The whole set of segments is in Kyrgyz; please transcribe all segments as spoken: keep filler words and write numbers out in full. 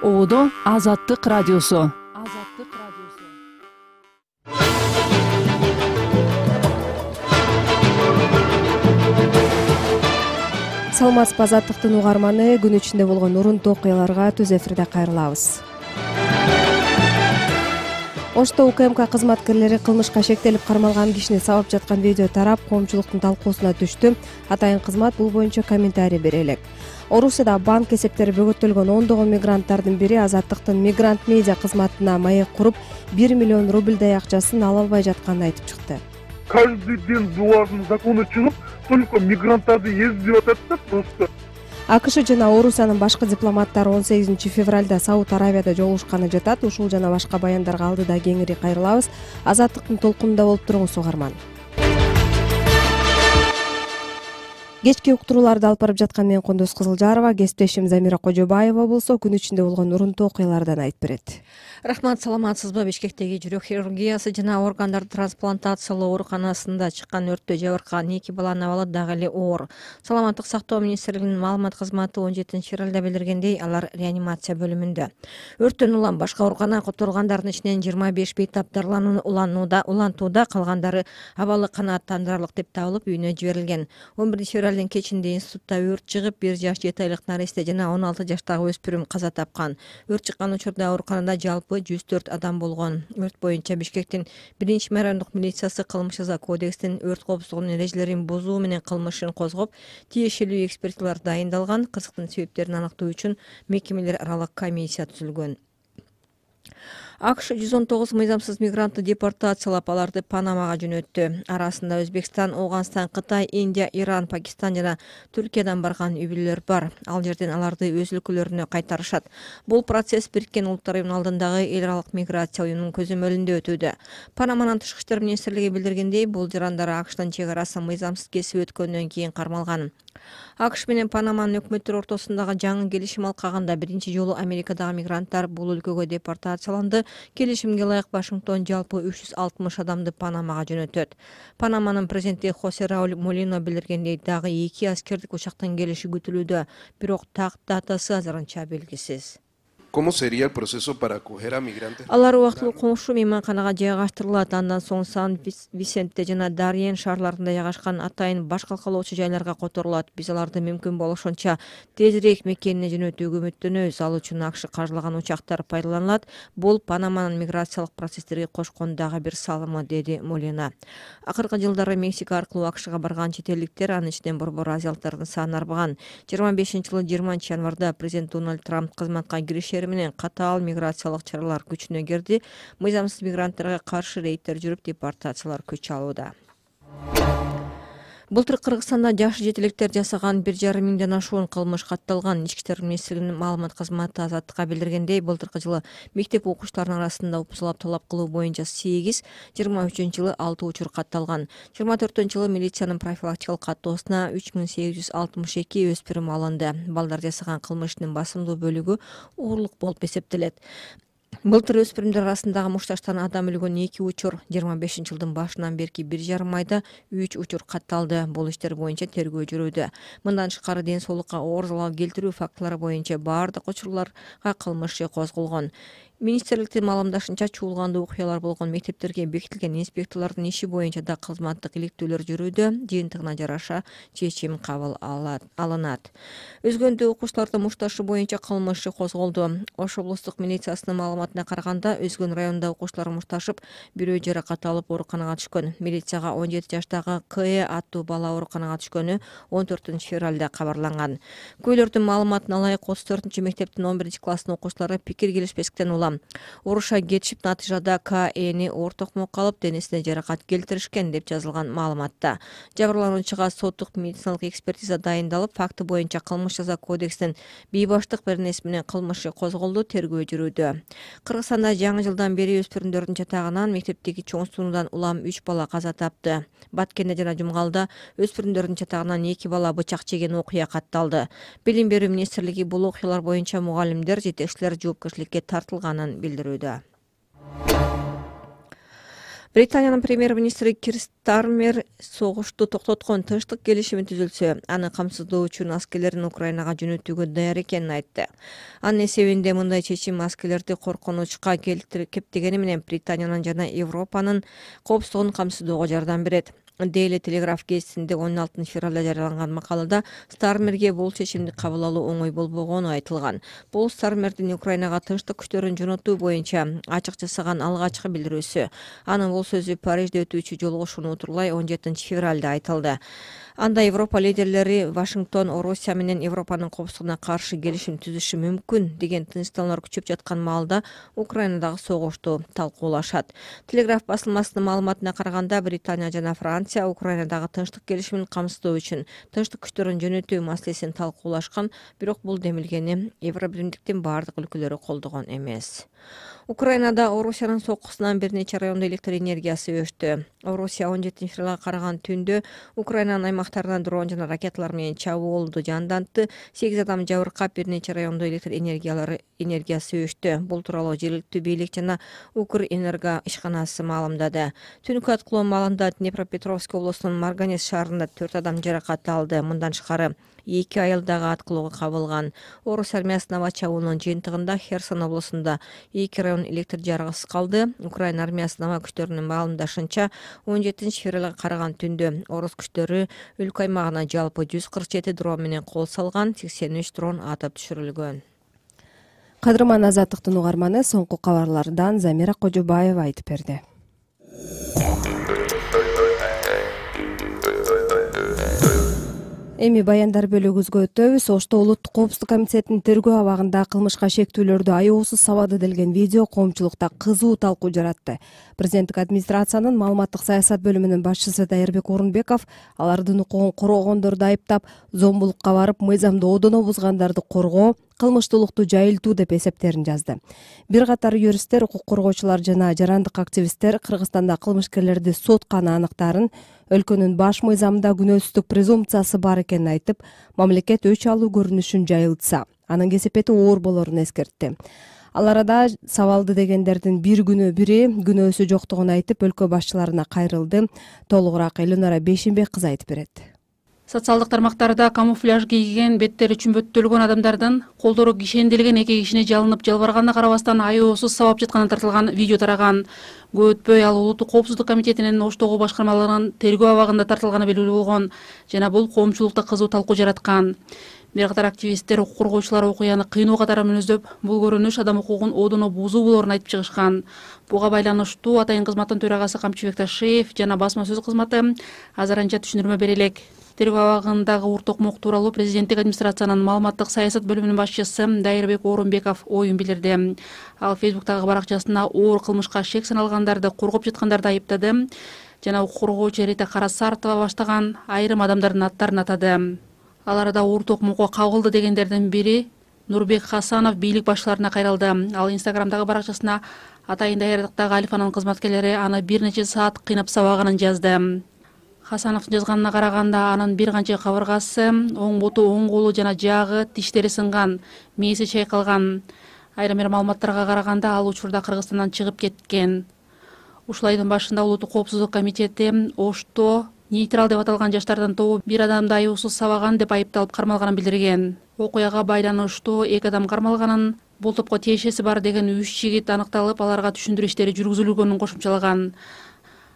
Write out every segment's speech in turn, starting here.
Оодо Азаттык радиосу. Азаттык радиосу. Саламатсызбы, Азаттыктын угарманы. Күн ичинде болгон урунтуу окуяларга түз эфирде кайрылабыз. Ошто УКМК кызматкерлери кылмышка шектелип кармалган кишини сабап жаткан видео тарап, коомчулуктун талкуусуна түштү. Атайын кызмат бул боюнча комментарий бере элек. Орусияда банк эсептери бөгөттөлгөн ондогон мигранттардын бири Азаттыктын мигрант медиа кызматына маек куруп, бир миллион рубльдай акчасын ала албай жатканын айтып чыкты. Каждый день булардын закону чыгып, только мигранттарды эздеп атат да просто. АКШ жана Орусиянын башкы дипломаттары он сегизинчи февралда Сауд Арабияда жолугушканы жатат. Ушул жана башка баяндарга алдыда кеңири кайрылабыз. Азаттыктын толкунунда болуп туруңуз, угарман. Кечки уктурууларды алып барып жаткан мен Кондос Кызылжарова, кесиптешим Замира Кожобаева болсо күн ичинде болгон урунтуу окуялардан айтып берет. Рахмат, саламатсызбы? Бишкектеги жүрөк хирургиясы жана органдар трансплантациялоо ооруканасында чыккан өрттө жабыркаган эки баланын абалы дагы эле оор. Саламаттык сактоо министрлигинин маалымат кызматы он жетинчи февралда билдиргендей, алар реанимация бөлүмүндө. Өрттөн улам башка ооруканага которулгандардын ичинен жыйырма беш бейтап дарыланууну уланууда, улантууда, калгандары абалы канааттандырарлык деп табылып үйүнө жиберилген. он биринчи февралдын кечинде институтта өрт чыгып, бир жаш жети айлык наристе жана он алты жаштагы өспүрүм каза тапкан. Өрт чыккан учурда ооруканада жалпы жүз төрт адам болгон. Өрт боюнча Бишкектин биринчи райондук милициясы кылмыш жаза кодекстин өрт коопсуздугунун эрежелерин бузуу менен кылмышын козгоп, тиешелүү экспертизалар дайындалган. Кызыктын себептерин аныктоо үчүн мекемелер аралык комиссия түзүлгөн. АКШ жүз он тогуз мыйзамсыз мигрантты депортациялап, аларды Панамага жөнөттү. Арасында Өзбекстан, Ооганстан, Кытай, Индия, Иран, Пакистан жана Түркиядан барган үй бүлөлөр бар. Ал жерден аларды өз өлкөлөрүнө кайтарышат. Бул процесс Бириккен Улуттар уюмунун алдындагы эл аралык миграция уюмунун көзөмөлүндө өтүүдө. Панаманын тышкы иштер министрлиги билдиргендей, бул жарандар АКШтын чек арасын мыйзамсыз кесип өткөндөн кийин кармалган. АКШ менен Панаманын өкмөттөр ортосундагы жаңы келишим алкагында биринчи жолу Америкадагы мигранттар бул өлкөгө депортацияланды. Келишимге ылайык Вашингтон жалпы үч жүз алтымыш адамды Панамага жөнөтөт. Панаманын президенти Хосе Рауль Молино билдиргендей, дагы эки аскердик учактын келиши күтүлүүдө, бирок так датасы азырынча белгисиз. ¿Cómo sería el proceso para acoger a migrantes? Алар убактылуу коңшу мейманканага жайгаштырылат. Андан соң Сан-Висентте жана Дарьен шаарларында жайгашкан атайын баш калкалоочу жайларга которулат. Биз аларды мүмкүн болушунча тезирээк мекенине жөнөтүүгө үмүттөнөбүз. Ал үчүн АКШ каржылаган учактар пайдаланылат. Бул Панаманын миграциялык процесстерге кошкон дагы бир салымы, деди Молина. Акыркы жылдары Мексика аркылуу АКШга барган чет элдиктер, анын ичинен борбор азиялыктардын саны арбаган. жыйырма бешинчи жылы жыйырманчы январда президент Дональд Трамп кызматка киришери менен катаал миграциялык чаралар күчүнө кирди. Мыйзамсыз мигранттарга каршы рейдтер жүрүп, депортациялар күч алууда. Былтыр Кыргызстанда жаш жетеликтер жасаган бир жарым миңден ашуун кылмыш катталган. Ички иштер министрлигинин маалымат кызматы Азаттыкка билдиргендей, былтыркы жылы мектеп окуучуларынын арасында упсулап талап кылуу боюнча сегиз, жыйырма үчүнчү жылы алты учур катталган. жыйырма төртүнчү жылы милициянын профилактикалык каттоосуна үч миң сегиз жүз алтымыш эки өспүрүм алынды. Балдар жасаган кылмыштын басымдуу бөлүгү уурлук болуп эсептелет. Былтыр өспүрүмдөр арасындагы мушташтан адам өлгөн эки учур, жыйырма бешинчи жылдын башынан берки бир жарым айда үч учур катталды. Бул иштер боюнча тергөө жүрүүдө. Мындан тышкары ден соолукка оор залал келтирүү фактылары боюнча баардык учурларга кылмыш иши козголгон. Министрликтин маалымдашынча, чуулгандуу окуялар болгон мектептерге бекитилген инспекторлордун иши боюнча да кызматтык иликтөөлөр жүрүүдө. Жыйынтыгына жараша чечим кабыл алынат. Өзгөндө окуучуларды мушташы боюнча кылмыш иши козголду. Ош облустук милициясынын маалыматына караганда, Өзгөн районунда окуучулар мушташып, бирөө жаракат алып ооруканага түшкөн. Милицияга он жети жаштагы К аттуу бала ооруканага түшкөнү он төртүнчү февралда кабарланган. Көйлөрдүн маалыматына ылайык отуз төртүнчү мектептин он биринчи класстын окуучулары пикир келишпестиктен улам уруша кетишип, натыйжада К Эни оор токмокко алып, денесине жаракат келтиришкен деп жазылган маалыматта. Жабырлануучуга соттук медициналык экспертиза дайындалып, факты боюнча кылмыш жаза кодексинин бейбаштык беренеси менен кылмыш козголду, тергөө жүрүүдө. Кыргызстанда жаңы жылдан бери өспүрүмдөрдүн чатагынан мектептеги чоң сунуудан улам үч бала каза тапты. Баткенде жана Жумгалда өспүрүмдөрдүн чатагынан эки бала бычак жеген окуя катталды. Билим берүү министрлиги бул окуялар боюнча мугалимдер, жетекчилер жоопкерчиликке тартылганын билдирүүдө. Британиянын премьер-министри Кир Стармер согушту токтоткон тынчтык келишими түзүлсө, аны камсыздоо үчүн аскерлерин Украинага жөнөтүүгө даяр экенин айтты. Анын эсебинде мындай чечим аскерлерди коркунучка кептегени менен Британиянын жана Европанын коопсуздугун камсыздоого жардам берет. Daily Telegraph гезитинде он алтынчы февралда жарыяланган макалада Стармерге бул чечимди кабыл алуу оңой болбогону айтылган. Бул Стармердин Украинага тынчтык күчтөрүн жөнөтүү боюнча ачык жасаган алгачкы билдирүүсү. Анын бул сөзү Парижде өтүүчү жолугушууну утурлай он жетинчи февралда айтылды. Анда Европа лидерлери Вашингтон Орусия менен Европанын коопсуздугуна каршы келишим түзүшү мүмкүн деген тынчтанулар күчөп жаткан маалда Украинадагы согушту талкуулашат. Телеграф басылмасынын маалыматына караганда Британия жана Франция Украинадагы тынчтык келишимин камсыздоо үчүн тынчтык күчтөрүн жөнөтүү маселесин талкуулашкан, бирок бул демилгени Евробиримдиктин бардык өлкөлөрү колдогон эмес. Украинада Орусиянын соккусунан бир нече райондо электр энергиясы өчтү. Орусия он жетинчи февралга караган түндө Украинанын аймактарынан дрон жана ракеталар менен чабуулду жандантты. сегиз адам жабыркап, бир нече райондо электр энергиялары энергиясы өчтү. Бул тууралуу жергиликтүү бийлик жана Укрэнерго ишканасы маалымдады. Түнкү аткылоо маалында Днепропетровск облусунун Марганец шаарында төрт адам жаракат алды. Мындан тышкары эки айыл дагы аткылоого кабылган. Орус армиясынын аба чабуулунун жыйынтыгында Херсон облусунда эки район электр жарыгысыз калды. Украина армиясынын аба күчтөрүнүн маалымдашынча, он жетинчи февралга караган түндө орус күчтөрү өлкө аймагына жалпы жүз кырк жети дрон менен кол салган, сексен үч дрон атып түшүрүлгөн. Кадырман Азаттыктын угарманы соңку кабарлардан Замира Кожобаева айтып берди. Эми баяндар бөлүгүбүзгө өтөбүз. Ошто Улуттук коопсуздук комитетинин тергөө абагында кылмышка шектүүлөрдү аеосуз сабады делген видео коомчулукта кызуу талкуу жаратты. Президенттик администрациянын маалыматтык саясат бөлүмүнүн башчысы Дайырбек Орунбеков алардын укугун коргогондорду айыптап, зомбулукка барып мыйзамды одоно бузгандарды коргоо, кылмыштуулукту жайылтуу деп эсептерин жазды. Бир катар юристтер, укук коргоочулар жана жарандык активисттер Кыргызстанда кылмышкерлерди сотканы аныктарын, өлкөнүн баш мыйзамында күнөөсүздүк презумпциясы бар экенин айтып, мамлекет өч алуу көрүнүшүн жайылтса, анын кесепети оор болорун эскертти. Ал арада сабалды дегендердин бир күнү бири күнөөсү жоктугун айтып, өлкө башчыларына кайрылды. Толугураак Элинара Бейшенбек кызы айтып берет. Социалдык тармактарда камуфляж кийген, беттери чүмбөттөлгөн адамдардын колдору кишенделген эки кишине жалынып жалбарганына карабастан аеосуз сабап жатканы тартылган видео тараган. Көп өтпөй ал Улуттук коопсуздук комитетинин Оштогу башкармаларынын тергөө абагында тартылганы белгилүү болгон жана бул коомчулукта кызуу талкуу жараткан. Бир катар активисттер, укук коргоочулар окуяны кыйноо катары мүнөздөп, бул көрүнүш адам укугун одоно бузуу болоорун айтып чыгышкан. Буга байланыштуу Атайын кызматтын төрагасы Камчыбек Ташиев жана басма сөз кызматы азырынча түшүндүрмө бере элек. Тергөө абагындагы уртокмок тууралуу президенттик администрациянын маалыматтык саясат бөлүмүнүн башчысы Дайырбек Орунбеков оюн билдирди. Ал Фейсбуктагы баракчасына оор кылмышка шек саналгандарды коргоп жаткандарды айыптады жана укук коргоочу Рита Карасартова баштаган айрым адамдардын аттарын атады. Ал арада уртокмокко кабылды дегендердин бири Нурбек Хасанов бийлик башчыларына кайрылды. Ал Инстаграмдагы баракчасына Атайын даярдыктагы Альфанын кызматкерлери аны бир нече саат кыйнап сабаганын жазды. Хасановдун жазганына караганда анын бир канча кабыргасы, оң буту, оң колу жана жагы, тиштери сынган, мээси чайкалган. Айрым бир маалыматтарга караганда ал учурда Кыргызстандан чыгып кеткен. Ушул айдын башында Улуттук коопсуздук комитети Ошто нейтрал деп аталган жаштардын тобу бир адамды аеосуз сабаган деп айыпталып кармалганын билдирген. Окуяга байланыштуу эки адам кармалганын, бул топко тиешеси бар деген үч жигит аныкталып, аларга түшүндүрүү иштери жүргүзүлгөнүн кошумчалаган.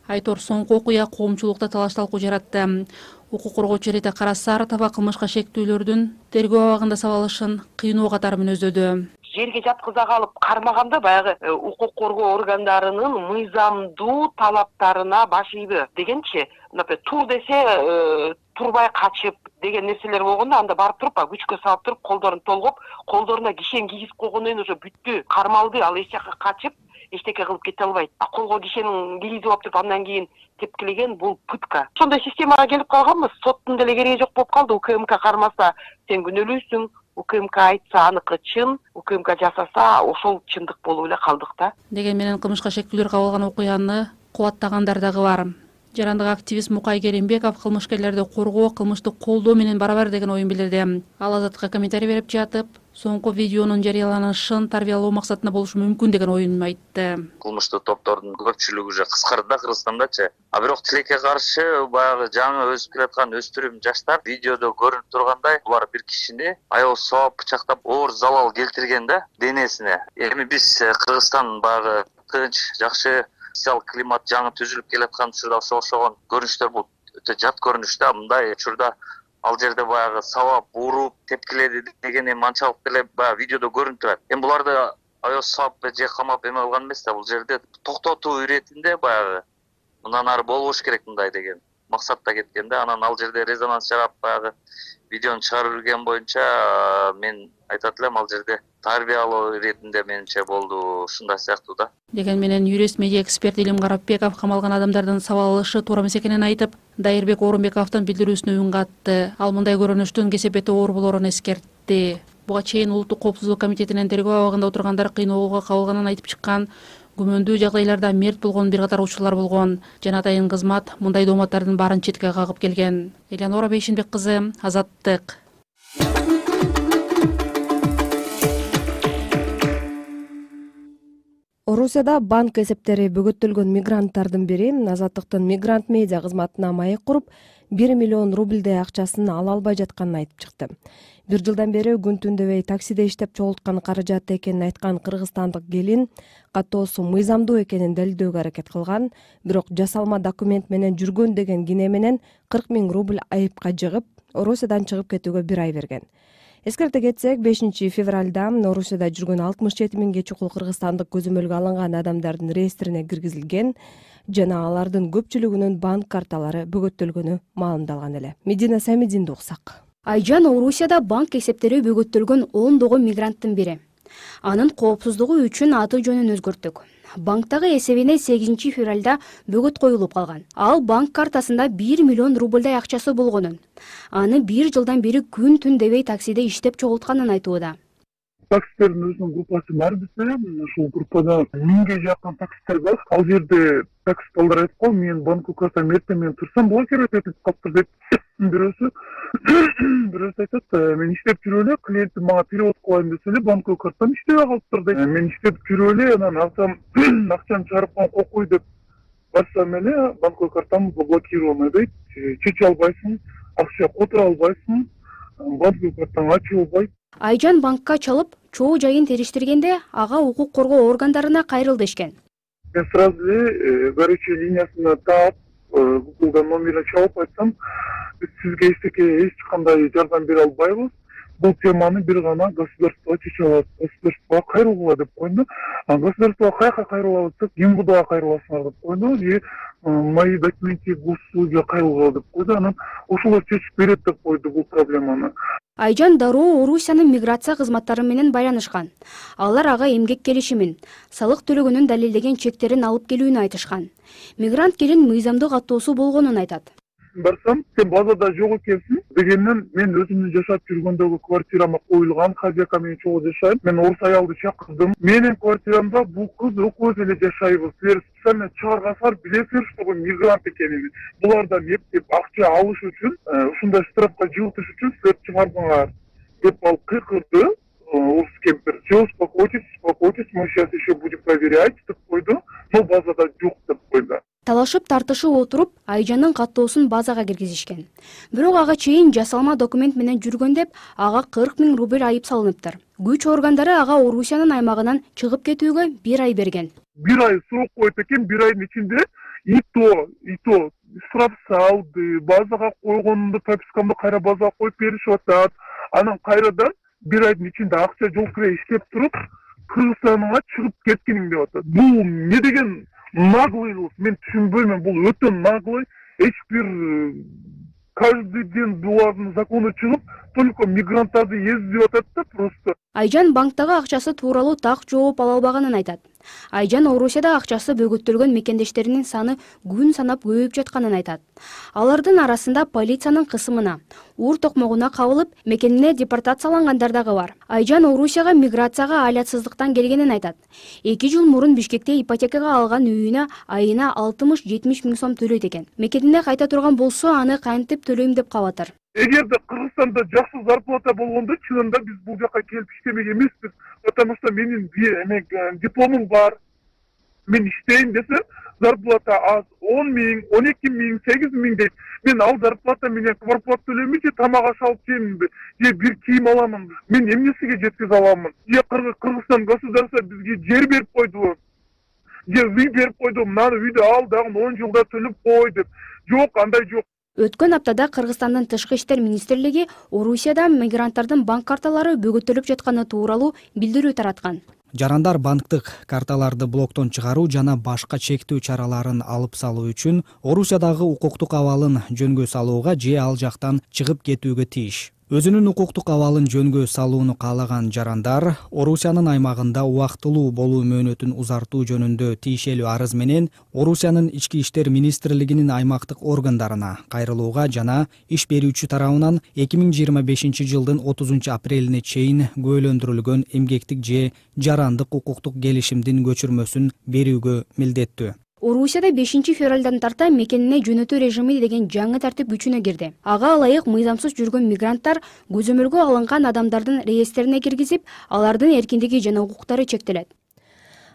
Айтор соңку окуя коомчулукта талаш талкуу жаратты. Укук коргоочу Рита Карасартова кылмышка шектүүлөрдүн тергөө абагында сабалышын кыйноо катары мүнөздөдү. Жерге жаткыза калып кармаганда баягы укук коргоо органдарынын мыйзамдуу талаптарына баш ийби дегенчи, мынапе тур десе турбай качып деген нерселер болгондо анда барып туруп күчкө салып туруп колдорун толгоп, колдоруна кишен кийгизип койгондон кийин уже бүттү, кармалды, ал эч жака качып эчтеке кылып кете албайт. А колго кишенин кийгизип алып туруп андан кийин тепкилеген бул пытка. Ошондой системага келип калганбыз. Соттун деле кереги жок болуп калды. УКМК кармаса сен күнөөлүүсүң, УКМК айтса аныкы чын, УКМК жасаса ошол чындык болуп эле калдык да. Деген менен кылмышка шектүүлөр кабылган окуяны кубаттагандар дагы бар. Жарандык активист Мукай Керимбеков кылмышкерлерди коргоо, кылмышты колдоо менен барабар деген оюн билдирди. Ал Азаттыкка комментарий берип жатып, соңку видеонун жарыяланышын тарбиялоо максатында болушу мүмкүн деген оюн айтты. Кылмыштуу топтордун көпчүлүгү уже кыскарды да Кыргызстандачы. А бирок тилекке каршы баягы жаңы өсүп келаткан өспүрүм жаштар видеодо көрүнүп тургандай булар бир кишини аябай сабап бычактап оор залал келтирген да денесине. Эми биз Кыргызстан баягы тынч, жакшы социал климат жаңы түзүлүп келаткан учурда ошо окшогон көрүнүштөр бул өтө жат көрүнүш да. Мындай учурда ал жерде баягы сабап, уруп, тепкиледи деген эми анчалык деле баягы видеодо көрүнүп турат. Эми буларды аябай сабап же камап эме кылган эмес да, бул жерде токтотуу иретинде баягы мындан ары болбош керек мындай деген максатта кеткен да. Анан ал жерде резонанс жарап баягы видеону чыгарып жүргөн боюнча мен айтат элем ал жерде тарбиялоо иретинде менимче болду, ушундай сыяктуу да. Деген менен юрист, медиа эксперт Илим Карапбеков камалган адамдардын сабак алышы туура эмес экенин айтып, Дайырбек Орунбековдун билдирүүсүнө үн катты. Ал мындай көрүнүштүн кесепети оор болоорун эскертти. Буга чейин Улуттук коопсуздук комитетинин тергөө абагында отургандар кыйноого кабылганын айтып чыккан. Күмөндүү жагдайларда мерт болгон бир катар учурлар болгон. Жана атайын кызмат мындай дооматтардын баарын четке кагып келген. Элянора Бейшинбек кызы, Азаттык. Орусияда банк эсептери бөгөттөлгөн мигранттардын бири Азаттыктын мигрант медиа кызматына маек куруп, бир миллион рубльдей акчасын ала албай жатканын айтып чыкты. Бир жылдан бери күн түн дебей таксиде иштеп чогулткан каражаты экенин айткан кыргызстандык келин каттоосу мыйзамдуу экенин далилдөөгө аракет кылган, бирок жасалма документ менен жүргөн деген кине менен кырк миң рубль айыпка жыгып, Орусиядан чыгып кетүүгө бир ай берген. Эскерте кетсек, бешинчи февралда Орусияда жүргөн алтымыш жети миңге чукул кыргызстандык көзөмөлгө алынган адамдардын реестрине киргизилген жана алардын көпчүлүгүнүн банк карталары бөгөттөлгөнү маалымдалган эле. Медина Самидинди уксак. Айжан Орусияда банк эсептери бөгөттөлгөн ондогон мигранттын бири. Анын коопсуздугу үчүн аты жөнүн өзгөрттүк. Банктагы эсебине сегизинчи февралда бөгөт коюлуп калган. Ал банк картасында бир миллион рубльдай акчасы болгонун. Аны бир жылдан бери күн түн дебей таксиде иштеп чогултканын айтууда. Таксистердин өзүнүн группасы бар биздер. Ушул группада миңге жакын таксистер бар. Ал жерде таксисталар айтып кой, мен банк картам эртең менен турсам блокировать этип калыптыр деп. Бирөөсү бирөөсү айтат, мен иштеп жүрүп эле, клиентим мага перевод кылайын десе эле, банк картам иштебей калыптыр дейт. Мен иштеп жүрүп эле, анан акчам акчаны чыгарып кой деп барсам эле, банк картам заблокировано дейт. Чече албайсың, акча которо албайсың, банк картаңды ачып албайт. Айжан банкка чалып, чоо жайын териштиргенде ага укук коргоо органдарына кайрыл дешкен. Мен сразу эле горячий линиясына таап, Google'dan номерин чалып айтсам, сизге эч кандай жардам бере албайбыз. Бул теманы бир гана государство чече алат. Государствого кайрылгыла деп койду. А государствого каяка кайрылабыз деп, ГИМБДга кайрыласыңар деп койду. И мои документы госуслуга кайрылгыла деп койду. Анан ошолор чечип берет деп койду бул проблеманы. Айжан дароо Орусиянын миграция кызматтары менен байланышкан. Алар ага эмгек келишимин, салык төлөгөнүн далилдеген чектерин алып келүүнү айтышкан. Мигрант келин мыйзамдуу каттоосу болгонун айтат. Барсам, сен базада жок экенсиң дегенден, мен өзүмдүн жашап жүргөндөгү квартирама коюлган, хозяйка менен чогуу жашайм. Мен орус аялды чакырдым. Менин квартирамда бул кыз экөөбүз эле жашайбыз. Силер специально чыгаргансыңар, билесиңер, что бул мигрант экенин. Булардан эптеп акча алыш үчүн, ушундай штрафка жылытыш үчүн силер чыгардыңар деп ал кыйкырды. Орус кемпир. Все, успокойтесь, успокойтесь, мы сейчас еще будем проверять деп койду. Но базада жок деп койду. Талашып тартышып отуруп, Айжанын каттоосун базага киргизишкен. Бирок ага чейин жасалма документ менен жүргөн деп, ага кырк миң рубль айып салыныптыр. Күч органдары ага Орусиянын аймагынан чыгып кетүүгө бир ай берген. Бир ай срок коюп экен, бир айдын ичинде и то, и то штраф салды, базага койгонумду, пропискамды кайра базага коюп беришип атат. Анан кайрадан бир айдын ичинде акча жол кире иштеп туруп, Кыргызстанга чыгып кеткениң деп атат. Бул не деген наглый, мен түшүнбөйм, бул өтө наглый. Эч бир каждый день булардын закону чыгып, только мигранттарды эзип атат да просто. Айжан банктагы акчасы тууралуу так жооп ала албаганын айтат. Айжан Орусияда акчасы бөгөттөлгөн мекендештеринин саны күн санап көбөйүп жатканын айтат. Алардын арасында полициянын кысымына, уур токмогуна кабылып мекенине депортациялангандар дагы бар. Айжан Орусияга миграцияга алятсыздыктан келгенин айтат. эки жыл мурун Бишкекте ипотекага алган үйүнө айына алтымыш жетимиш миң сом төлөйт экен. Мекенине кайта турган болсо, аны кантип төлөйм деп калып атат. Эгерде Кыргызстанда жакшы зарплата болгондо, чынында биз бул жака келип иштемек эмеспиз. Потому что менин дипломум бар. Мен иштейм десем, зарплата аз, он миң, он эки миң, сегиз миң дейт. Мен ал зарплата менен квартплата төлөймүн же тамак аш алып жейминби, же бир кийим аламын. Мен эмнесиге жеткизе аламын? Же Кыргызстан государство бизге жер берип койдубу? Же үй берип койду, мынаны үйдү ал, дагы он жылда төлөп кой деп. Жок, андай жок. Өткөн аптада Кыргызстандын Тышкы иштер министрлиги Орусияда мигранттардын банк карталары бөгөтөлүп жатканы тууралуу билдирүү тараткан. Жарандар банктык карталарды блоктон чыгаруу жана башка чектөө чараларын алып салуу үчүн Орусиядагы укуктук абалын жөнгө салууга же ал жактан чыгып кетүүгө тийиш. Өзүнүн укуктук абалын жөнгө салууну каалаган жарандар Орусиянын аймагында убактылуу болуу мөөнөтүн узартуу жөнүндө тиешелүү арыз менен Орусиянын ички иштер министрлигинин аймактык органдарына кайрылууга жана иш берүүчү тарабынан эки миң жыйырма бешинчи жылдын отузунчу апрелине чейин күбөлөндүрүлгөн эмгектик же жарандык укуктук келишимдин көчүрмөсүн берүүгө милдеттүү. Орусияда бешинчи февралдан тарта мекенине жөнөтүү режими деген жаңы тартип күчүнө кирди. Ага ылайык мыйзамсыз жүргөн мигранттар көзөмөлгө алынган адамдардын реестрине киргизип, алардын эркиндиги жана укуктары чектелет.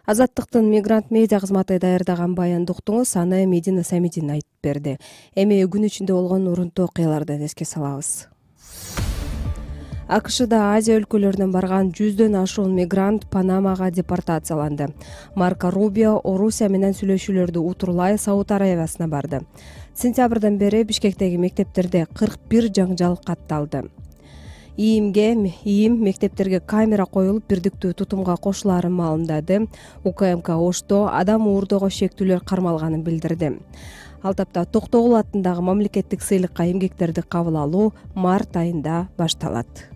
Азаттыктын мигрант медиа кызматы даярдаган баянды уктуңуз, аны Медина Самидин айтып берди. Эми күн ичинде болгон урунтуу окуяларды эске салабыз. АКШда Азия өлкөлөрүнөн барган жүздөн ашуун мигрант Панамага депортацияланды. Марко Рубио Орусия менен сүйлөшүүлөрдү утурлай Сауд Аравиясына барды. Сентябрдан бери Бишкектеги мектептерде кырк бир жаңжал катталды. ИИМге ИИМ мектептерге камера коюлуп бирдиктүү тутумга кошулаарын маалымдады. УКМК Ошто адам уурдоого шектүүлөр кармалганын билдирди. Ал тапта Токтогул атындагы мамлекеттик сыйлыкка эмгектерди кабыл алуу март айында башталат.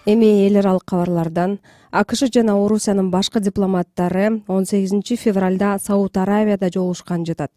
Эми эл аралык кабарлардан АКШ жана Орусиянын башкы дипломаттары он сегизинчи февралда Сауд Аравияда жолугушкан жатат.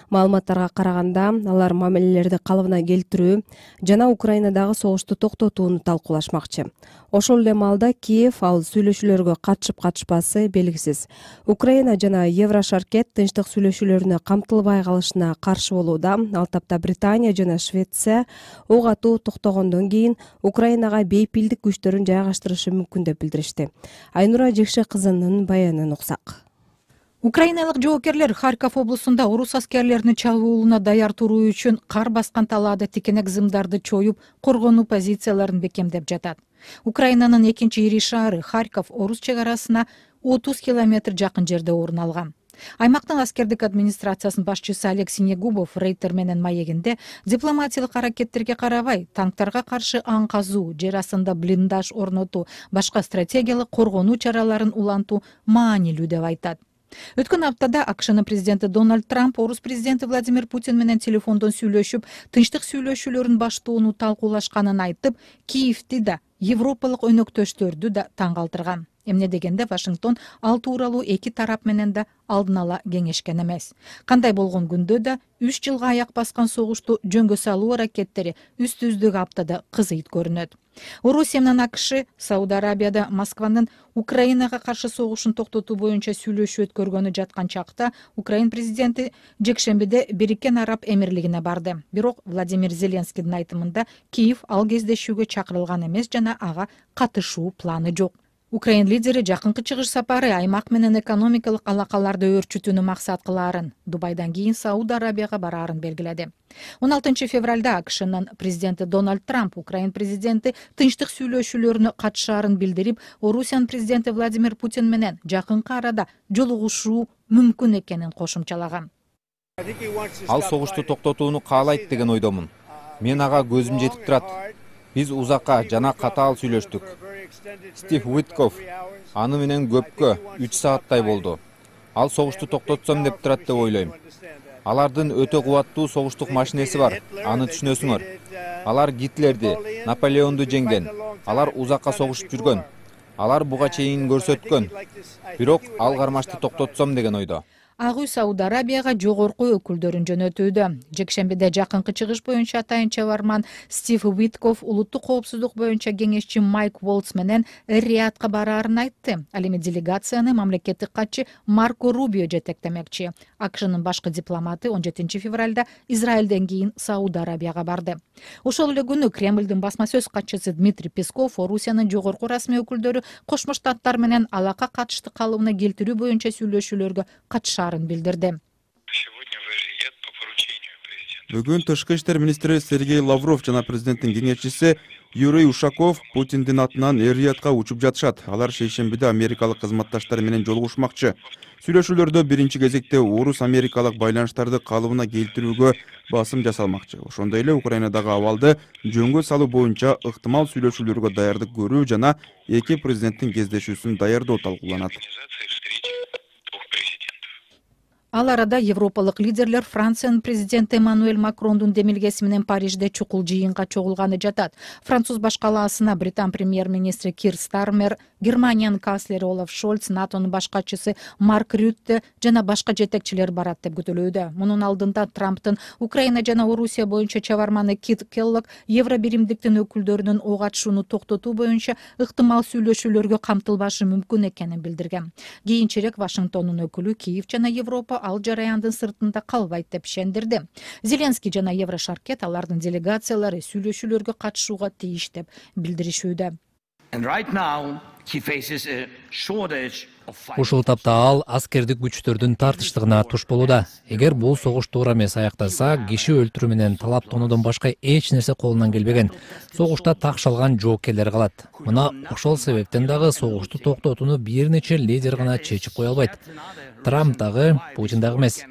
Маалыматтарга караганда, алар мамилелерди калыбына келтирүү жана Украинадагы согушту токтотууну талкуулашмакчы. Ошол эле маалда Киев ал сүйлөшүүлөргө катышып катышпасы белгисиз. Украина жана Еврошаркет тынчтык сүйлөшүүлөрүнө камтылбай калышына каршы болууда. Ал тапта Британия жана Швеция ок атуу токтогондон кийин Украинага бейпилдик күчтөрүн жайгаштырышы мүмкүн деп билдиришти. Айнура Жекше кызынын баянын уксак. Украиналык жоокерлер Харьков облусунда орус аскерлеринин чабуулуна даяр туруу үчүн кар баскан талаада тикенек зымдарды чоюп, коргонуу позицияларын бекемдеп жатат. Украинанын экинчи ири шаары Харьков орус чек арасына отуз километр жакын жерде орун алган. Аймактын аскердик администрациясынын башчысы Олег Синегубов Рейтер менен маегинде дипломатиялык аракеттерге карабай, танктарга каршы аң казуу, жер астында блиндаж орнотуу, башка стратегиялык коргонуу чараларын улантуу маанилүү деп айтат. Өткөн аптада АКШнын президенти Дональд Трамп орус президенти Владимир Путин менен телефондон сүйлөшүп, тынчтык сүйлөшүүлөрүн баштоону талкуулашканын айтып, Киевти да, европалык өнөктөштөрдү да таң калтырган. Эмне дегенде Вашингтон ал тууралуу эки тарап менен да алдын ала кеңешкен эмес. Кандай болгон күндө да үч жылга аяк баскан согушту жөнгө салуу аракеттери үстү-үздүк аптада кызыйт көрүнөт. Орусия менен АКШ Сауд Арабияда Москванын Украинага каршы согушун токтотуу боюнча сүйлөшүү өткөргөнү жаткан чакта Украин президенти жекшембиде Бириккен Араб Эмирлигине барды. Бирок Владимир Зеленскийдин айтымында Киев ал кездешүүгө чакырылган эмес жана ага катышуу планы жок. Украин лидери жакынкы чыгыш сапары аймак менен экономикалык алакаларды өөрчүтүүнү максат кылаарын, Дубайдан кийин Сауд Арабияга бараарын белгиледи. он алтынчы февралда АКШнын президенти Дональд Трамп Украин президенти тынчтык сүйлөшүүлөрүнө катышаарын билдирип, Орусиянын президенти Владимир Путин менен жакынкы арада жолугушуу мүмкүн экенин кошумчалаган. Ал согушту токтотууну каалайт деген ойдомун. Мен ага көзүм жетип турат. Биз узакка жана катаал сүйлөштүк. Стив Уитков аны менен көпкө үч сааттай болду. Ал согушту токтотсом деп турат деп ойлойм. Алардын өтө кубаттуу согуштук машинеси бар, аны түшүнөсүңөр. Алар Гитлерди, Наполеонду жеңген. Алар узакка согушуп жүргөн. Алар буга чейин көрсөткөн. Бирок ал кармашты токтотсом деген ойдо. Ак үй Сауд Арабияга жогорку өкүлдөрүн жөнөтүүдө. Жекшембиде жакынкы чыгыш боюнча атайын чабарман Стив Уитков улуттук коопсуздук боюнча кеңешчи Майк Волтс менен Эр-Риядка бараарын айтты. Ал эми делегацияны мамлекеттик катчы Марко Рубио жетектемекчи. АКШнын башкы дипломаты он жетинчи февралда Израилден кийин Сауд Арабияга барды. Ошол эле күнү Кремлдин басма сөз катчысы Дмитрий Песков Орусиянын жогорку расмий өкүлдөрү Кошмо Штаттар менен алака катышты калыбына келтирүү боюнча сүйлөшүүлөргө катышаарын билдирди. Бүгүн тышкы иштер министри Сергей Лавров жана президенттин кеңешчиси Юрий Ушаков Путиндин атынан Эр-Риядка учуп жатышат. Алар шейшембиде америкалык кызматташтары менен жолугушмакчы. Сүйлөшүүлөрдө биринчи кезекте орус-америкалык байланыштарды калыбына келтирүүгө басым жасалмакчы. Ошондой эле Украинадагы абалды жөнгө салуу боюнча ыктымал сүйлөшүүлөргө даярдык көрүү жана эки президенттин кездешүүсүн даярдоо талкууланат. Ал арада европалык лидерлер Франциянын президенти Эммануэль Макрондун демилгеси менен Парижде чукул жыйынга чогулганы жатат. Француз баш калаасына Британ премьер-министри Кир Стармер, Германиянын канцлери Олаф Шольц, НАТОнун баш катчысы Марк Рютте жана башка жетекчилер барат деп күтүлүүдө. Мунун алдында Трамптын Украина жана Орусия боюнча чабарманы Кит Келлог Евробиримдиктин өкүлдөрүнүн ок атышууну токтотуу боюнча ыктымал сүйлөшүүлөргө камтылбашы мүмкүн экенин билдирген. Кийинчерээк Вашингтондун өкүлү Киев жана Европа ал жараяндын сыртында калбайт деп ишендирди. Зеленский жана Еврошаркет алардын делегациялары сүйлөшүүлөргө катышууга тийиш деп билдиришүүдө. Ушул тапта ал аскердик күчтөрдүн тартыштыгына туш болууда. Эгер бул согуш туура эмес аякталса, киши өлтүрүү менен талаптоонуудон башка эч нерсе колунан келбеген. Согушта так шалган жоокерлер калат. Мына ошол себептен дагы согушту токтотууну бир нече лидер гана чечип кое албайт. Трамп дагы, Путин дагы эмес.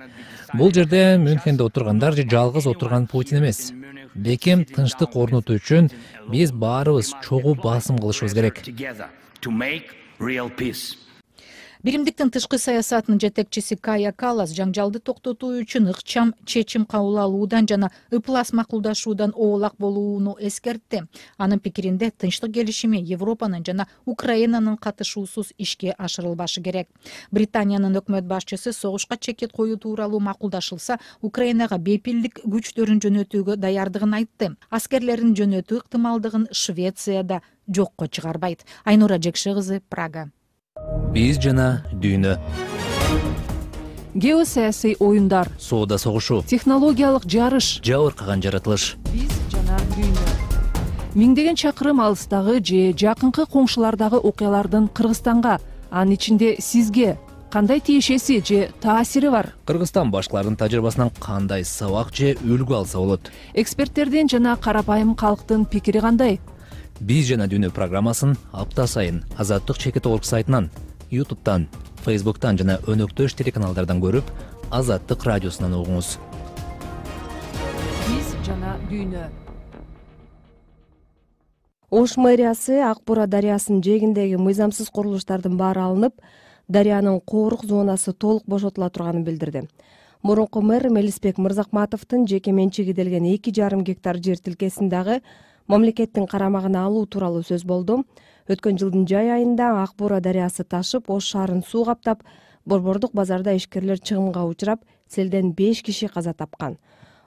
Бул жерде Мюнхенде отургандар же жалгыз отурган Путин эмес. Бекем тынчтык орнотуу үчүн биз баарыбыз чогуу басым кылышыбыз керек. Биримдиктин тышкы саясатынын жетекчиси Кая Каллас жаңжалды токтотуу үчүн ыкчам чечим кабыл алуудан жана ыплас макулдашуудан оолак болууну эскертти. Анын пикиринде тынчтык келишими Европанын жана Украинанын катышуусуз ишке ашырылбашы керек. Британиянын өкмөт башчысы согушка чекет коюу тууралуу макулдашылса, Украинага бейпилдик күчтөрүн жөнөтүүгө даярдыгын айтты. Аскерлерин жөнөтүү ыктымалдыгын Швецияда жокко чыгарбайт. Айнура Жекше кызы, Прага. Биз жана дүйнө. Геосаясий оюндар. Соода согушу. Технологиялык жарыш. Жабыркаган жаратылыш. Биз жана дүйнө. Миңдеген чакырым алыстагы же жакынкы коңшулардагы окуялардын Кыргызстанга, анын ичинде сизге кандай тиешеси же таасири бар? Кыргызстан башкалардын тажрыйбасынан кандай сабак же үлгү алса болот? Эксперттердин жана карапайым калктын пикири кандай? Биз жана дүйнө программасын апта сайын Азаттык чекит орг сайтынан, ютубтан, фейсбуктан жана өнөктөш телеканалдардан көрүп, Азаттык радиосунан угуңуз. Биз жана дүйнө. Ош мэриясы Ак Бура дарыясынын жээгиндеги мыйзамсыз курулуштардын баары алынып, дарыянын коорук зонасы толук бошотула турганын билдирди. Мурунку мэр Мелисбек Мырзакматовдун жеке менчиги делген эки жарым гектар жер тилкесин дагы мамлекеттин карамагына алуу тууралуу сөз болду. Өткөн жылдын жай айында Ак Бура дарыясы ташып, Ош шаарын суу каптап, Борбордук базарда ишкерлер чыгымга учурап, селден беш киши каза тапкан.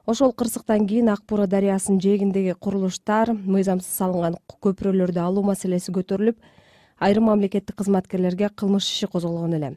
Ошол кырсыктан кийин Ак Бура дарыясынын жээгиндеги курулуштар, мыйзамсыз салынган көпүрөлөрдү алуу маселеси көтөрүлүп, айрым мамлекеттик кызматкерлерге кылмыш иши козголгон эле.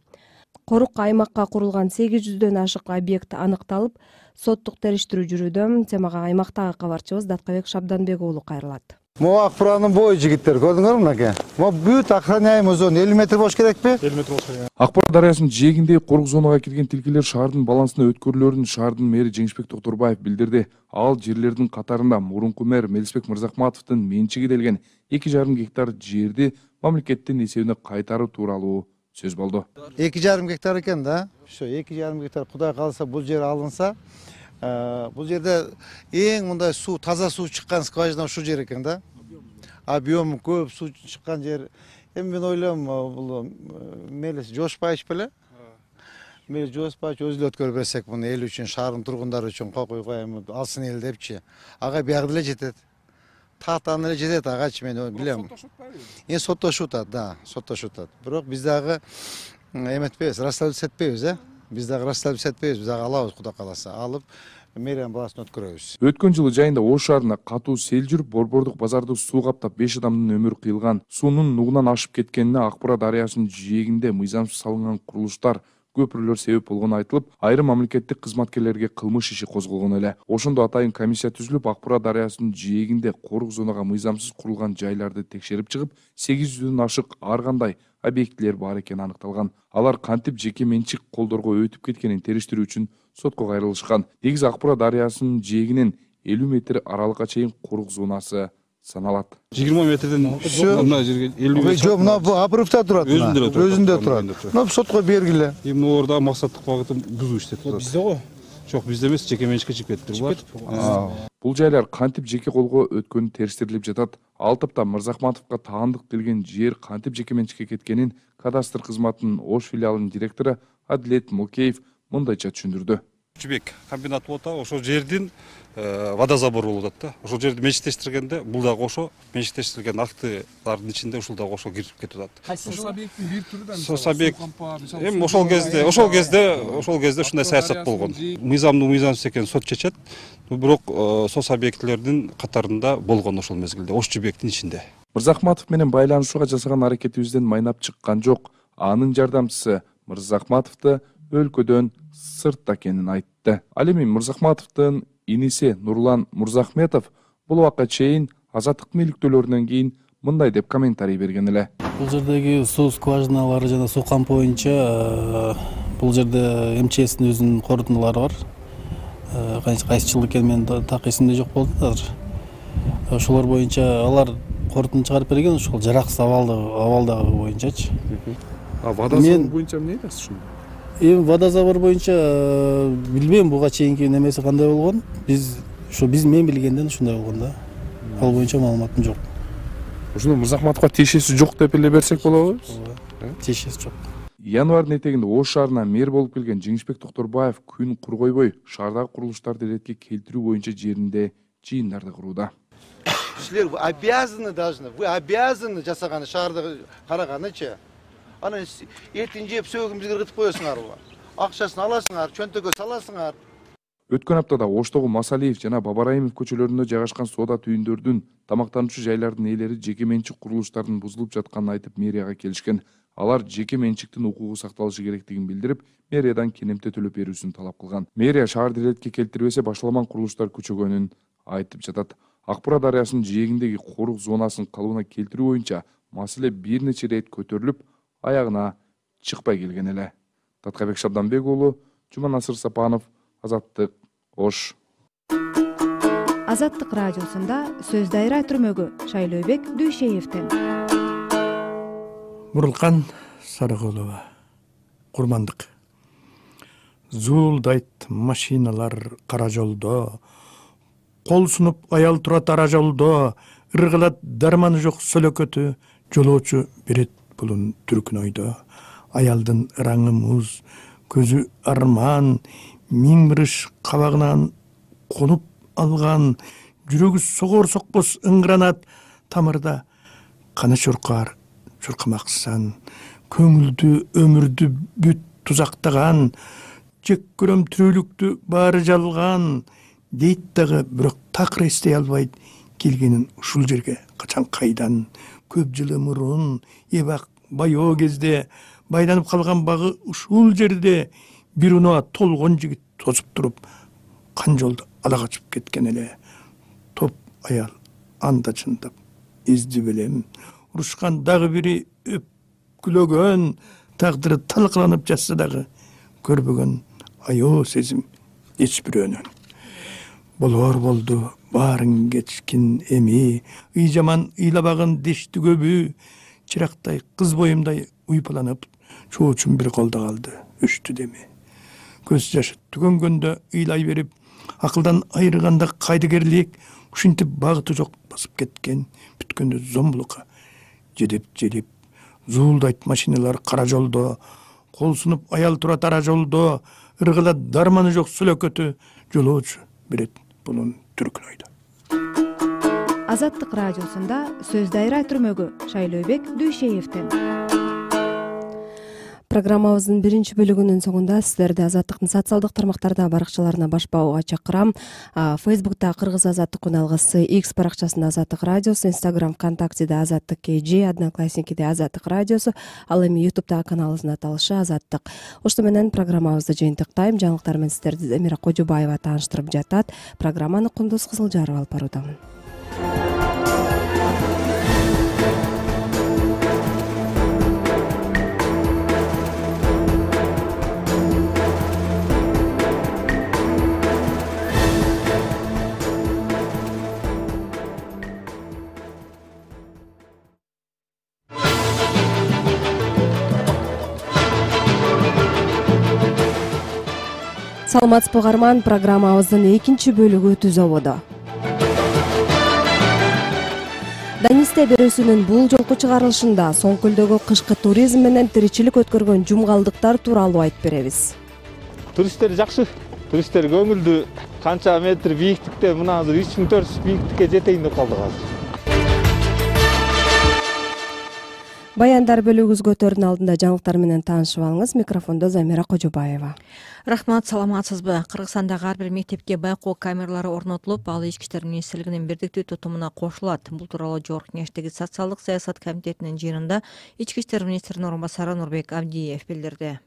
Корук аймакка курулган сегиз жүздөн ашык объект аныкталып, соттук териштирүү жүрүүдө. Темага аймактагы кабарчыбыз Даткабек Шабданбек уулу кайрылат. Могу Ак Буранын бою жигиттер, көрдүңөрбү мынакей? Могу бүт охраняемый зона элүү метр болуш керекпи? элүү метр болуш керек. Ак Бура дарыясынын жээгиндеги корук зонага кирген тилкелер шаардын балансына өткөрүлөрүн шаардын мэри Жеңишбек Токторбаев билдирди. Ал жерлердин катарында мурунку мэр Мелисбек Мырзакматовдун менчиги делген эки жарым гектар жерди мамлекеттин эсебине кайтаруу тууралуу сөз болду. эки жарым гектар экен да. Ошо эки жарым гектар Кудай кааласа бул жер алынса, бул жерде эң мындай суу, таза суу чыккан скважина ушул жер экен да. Объему көп суу чыккан жер. Эми мен ойлойм, бул Мелис жошпайчы беле? Мелис жошпайчы өзү эле өткөрүп берсек, муну эл үчүн, шаардын тургундары үчүн койгойго эми алсын эл депчи. Ага биягы деле жетет. Тактан эле жетет агачы, мен билем. Эми соттошуп атат, да, соттошуп атат. Бирок биз дагы эметпейбиз, расследовать этпейбиз, э? Биз дагы расстраиваться этпейбиз, биз дагы алабыз, Кудай кааласа, алып мэриянын баласын өткөрөбүз. Өткөн жылы жайында Ош шаарына катуу сел жүрүп, Борбордук базарды суу каптап беш адамдын өмүрү кыйылган. Суунун нугунан ашып кеткенине Ак Бура дарыясынын жээгинде мыйзамсыз салынган курулуштар, көпүрлөр себеп болгону айтылып, айрым мамлекеттик кызматкерлерге кылмыш иши козголгон эле. Ошондо атайын комиссия түзүлүп, Ак Бура дарыясынын жээгинде корук зонага мыйзамсыз курулган жайларды текшерип чыгып, сегиз жүздөн ашык ар кандай объектилер бар экени аныкталган. Алар кантип жеке менчик колдорго өтүп кеткенин териштирүү үчүн сотко кайрылышкан. Негизи Ак Бура дарыясынын жээгинен элүү метр аралыкка чейин корук зонасы саналат. жыйырма метрден мына жерге элүү метр. Жок, мына обрывта турат. Өзүндө турат. Өзүндө турат. Мына сотко бергиле. Эми орда максаттык багытын бузуу иштеп турат. Бизде го. Жок, бизде эмес, жеке менчикке чыгып кетиптир булар. Бул жайлар кантип жеке колго өткөнү териштирилип жатат. Ал тапта Мырзахматовго таандык делген жер кантип жеке менчикке кеткенин кадастр кызматынын Ош филиалынын директору Адилет Мокеев мындайча түшүндүрдү. Чүбек комбинат болот, ошол жердин водозабор болуп атат да. Ошол жерди менчиктештиргенде бул дагы ошо менчиктештирилген актылардын ичинде ушул дагы ошо кирип кетип атат. Сос объекттин бир түрү да. Сос объект. Эми ошол кезде, ошол кезде, ошол кезде ушундай саясат болгон. Мыйзамдуу мыйзамсыз экенин сот чечет. Бирок сос объектилердин катарында болгон ошол мезгилде, Ош Чүбектин ичинде. Мырзахматов менен байланышууга жасаган аракетибизден майнап чыккан жок. Анын жардамчысы Мырзахматовду өлкөдөн сыртта экенин айтты. Ал эми Мырзахматовдун иниси Нурлан Мурзахметов бул убакка чейин азаттыктын иликтөөлөрүнөн кийин мындай деп комментарий берген эле. Бул жердеги суу скважиналары жана суу кампы боюнча бул жерде эм че эстин өзүнүн корутундулары бар. Кайсы жыл экени мен так эсимде жок болду азыр. Ошолор боюнча алар корутунду чыгарып берген, ошол жараксыз абалдагы боюнчачы. А водозабор боюнча эмне айтасыз ушунда? Эми водозабор боюнча билбейм буга чейинки немеси кандай болгон. Биз ошо биз мен билгенден ушундай болгон да. Ал боюнча маалыматым жок. Ошондо Мырзахматовго тиешеси жок деп эле берсек болобу? Тиешеси жок. Январдын этегинде Ош шаарына мэр болуп келген Жеңишбек Токторбаев күн кур койбой шаардагы курулуштарды иретке келтирүү боюнча жеринде жыйындарды курууда. Силер обязаны должны, вы обязаны жасаганы шаарды караганычы. Анан этин жеп сөгүмүзгө кыргытып коесуңарбы? Акчасын аласыңар, чөнтөгө саласыңар. Өткөн аптада Оштогу Масалиев жана Бабараимов көчөлөрүндө жайгашкан соода түйүндөрдүн, тамактануучу жайлардын ээлери жеке менчик курулуштардын бузулуп жатканын айтып мэрияга келишкен. Алар жеке менчиктин укугу сакталышы керектигин билдирип, мэриядан кенемте төлөп берүүсүн талап кылган. Мэрия шаарды иретке келтирбесе башталган курулуштар күчөгөнүн айтып жатат. Ак Бура дарыясынын жээгиндеги корук зонасын калыбына келтирүү боюнча маселе бир нече ирет көтөрүлүп, аягына чыкпай келген эле. Таткайбек Шабданбек уулу, Жуманасыр Сапанов, Азаттык, Ош. Азаттык радиосунда сөз дайра түрмөгү Шайлообек Дүйшеевден. Мурулкан Сарыгулова, курмандык. Зуулдайт машиналар кара жолдо, кол сунуп аял турат ара жолдо, ыргылат дарманы жок сөлөкөтү, жолоочу берет булун түркүн ойдо. Аялдын ыраңы муз, көзү арман, миң мырыш кабагынан конуп алган, жүрөгү согор сокпос ыңгранат тамырда. Каны чуркар, чуркамаксан, көңүлдү өмүрдү бүт тузактаган, жек көрөм тирүүлүктү баары жалган, дейт дагы бирок такыр эстей албайт келгенин ушул жерге качан кайдан. Көп жылы мурун эбак байоо кезде байланып калган багы ушул жерде бир унаа толгон жигит тосуп туруп, кан жолду ала качып кеткен эле. Топ аял анда чындап изди белем, урушкан дагы бири өпкүлөгөн, тагдыры талкаланып жатса дагы көрбөгөн аё сезим эч бирөөнөн. Болор болду баарын кечкин эми, ый жаман ыйлабагын дешти көбү, чырактай кыз боюмдай уйпаланып, чоочун бир колдо калды, өчтү деми. Көз жашы түгөнгөндө ыйлай берип, акылдан айрыганда кайдыгерлик, ушинтип багыты жок басып кеткен, бүткөндө зомбулукка жедеп желип, зуулдайт машиналар кара жолдо, кол сунуп аял турат ара жолдо, ыргылат дарманы жок сөлөкөтү, жолоочу берет булун түркүн ойдо. Азаттык радиосунда сөз дайра түрмөгү Шайлообек Дүйшеевден. Программабыздын биринчи бөлүгүнүн соңунда сиздерди Азаттыктын социалдык тармактарда баракчаларына баш баууга чакырам. Фейсбукта Кыргыз Азаттык уналгысы, X баракчасында Азаттык радиосу, Instagram, ВКонтактеде Азаттык кей джи, Одноклассникиде Азаттык радиосу, ал эми YouTube'дагы каналыбыздын аталышы Азаттык. Ошто менен программабызды жыйынтыктайм. Жаңылыктар менен сиздерди Замира Кожубаева тааныштырып жатат. Программаны Кундуз Кызылжаров алып баруудамын. Саламатсызбы угарман, программабыздын экинчи бөлүгү түз ободо. Данисте берүүсүнүн бул жолку чыгарылышында Соңкөлдөгү кышкы туризм менен тиричилик өткөргөн жумгалдыктар тууралуу айтып беребиз. Туристтер жакшы, туристтер көңүлдүү. Канча метр бийиктикте, мына азыр үч миң төрт жүз бийиктикке жетейин деп калдык азыр. Баяндар бөлүгүбүзгөтөрдүн алдында жаңылыктар менен таанышып алыңыз. Микрофондо Замира Кожубаева. Рахмат, саламатсызбы? Кыргызстандагы ар бир мектепке байкоо камералары орнотулуп, ал Ички иштер министрлигинин бирдиктүү тутумуна кошулат. Бул тууралуу Жогорку Кеңештеги социалдык саясат комитетинин жыйынында Ички иштер министринин орун басары Нурбек Абдиев билдирди.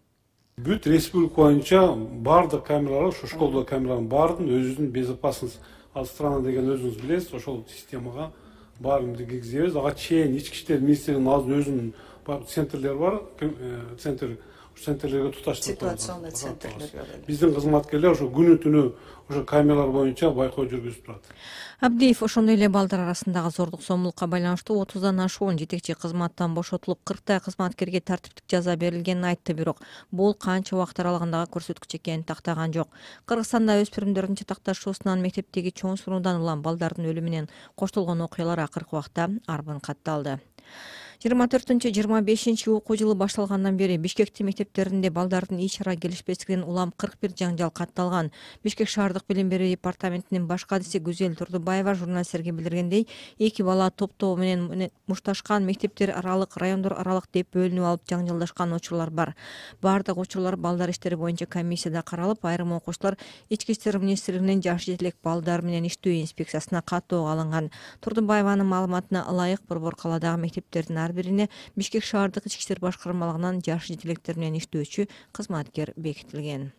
Бүт республика боюнча баардык камералар, ушу школдо камералардын баардыгын өзүбүздүн безопасность страна деген өзүңүз билесиз, ошол системага баарын киргизебиз. Ага чейин Ички иштер министрлигинин өзүнүн центрлери бар, центр центрлерге туташтырып ситуационный центрлер. Биздин кызматкерлер ошо күнү түнү ошо камералар боюнча байкоо жүргүзүп турат. Абдиев ошондой эле балдар арасындагы зордук зомбулукка байланыштуу отуздан ашуун жетекчи кызматтан бошотулуп, кырктай кызматкерге тартиптик жаза берилгенин айтты, бирок бул канча убакыт аралыгындагы көрсөткүч экенин тактаган жок. Кыргызстанда өспүрүмдөрдүн чатакташуусунан мектептеги чоң сунуудан улам балдардын өлүмү менен коштолгон окуялар акыркы убакта арбын катталды. жыйырма төртүнчү жыйырма бешинчи окуу жылы башталгандан бери Бишкектин мектептеринде балдардын ич ара келишпестигинен улам кырк бир жаңжал катталган. Бишкек шаардык билим берүү департаментинин баш кадиси Гүзел Турдубаева журналисттерге билдиргендей, эки бала топтоо менен мушташкан, мектептер аралык, райондор аралык деп бөлүнүп алып жаңжалдашкан учурлар бар. Бардык учурлар балдар иштери боюнча комиссияда каралып, айрым окуучулар Ички иштер министрлигинин жаш жетилек балдар менен иштөө инспекциясына каттоого алынган. Турдубаеванын маалыматына ылайык, борбор калаадагы мектептердин ар бирине Бишкек шаардык ички иштер башкармалыгынан жаш жетелектер менен иштөөчү кызматкер бекитилген.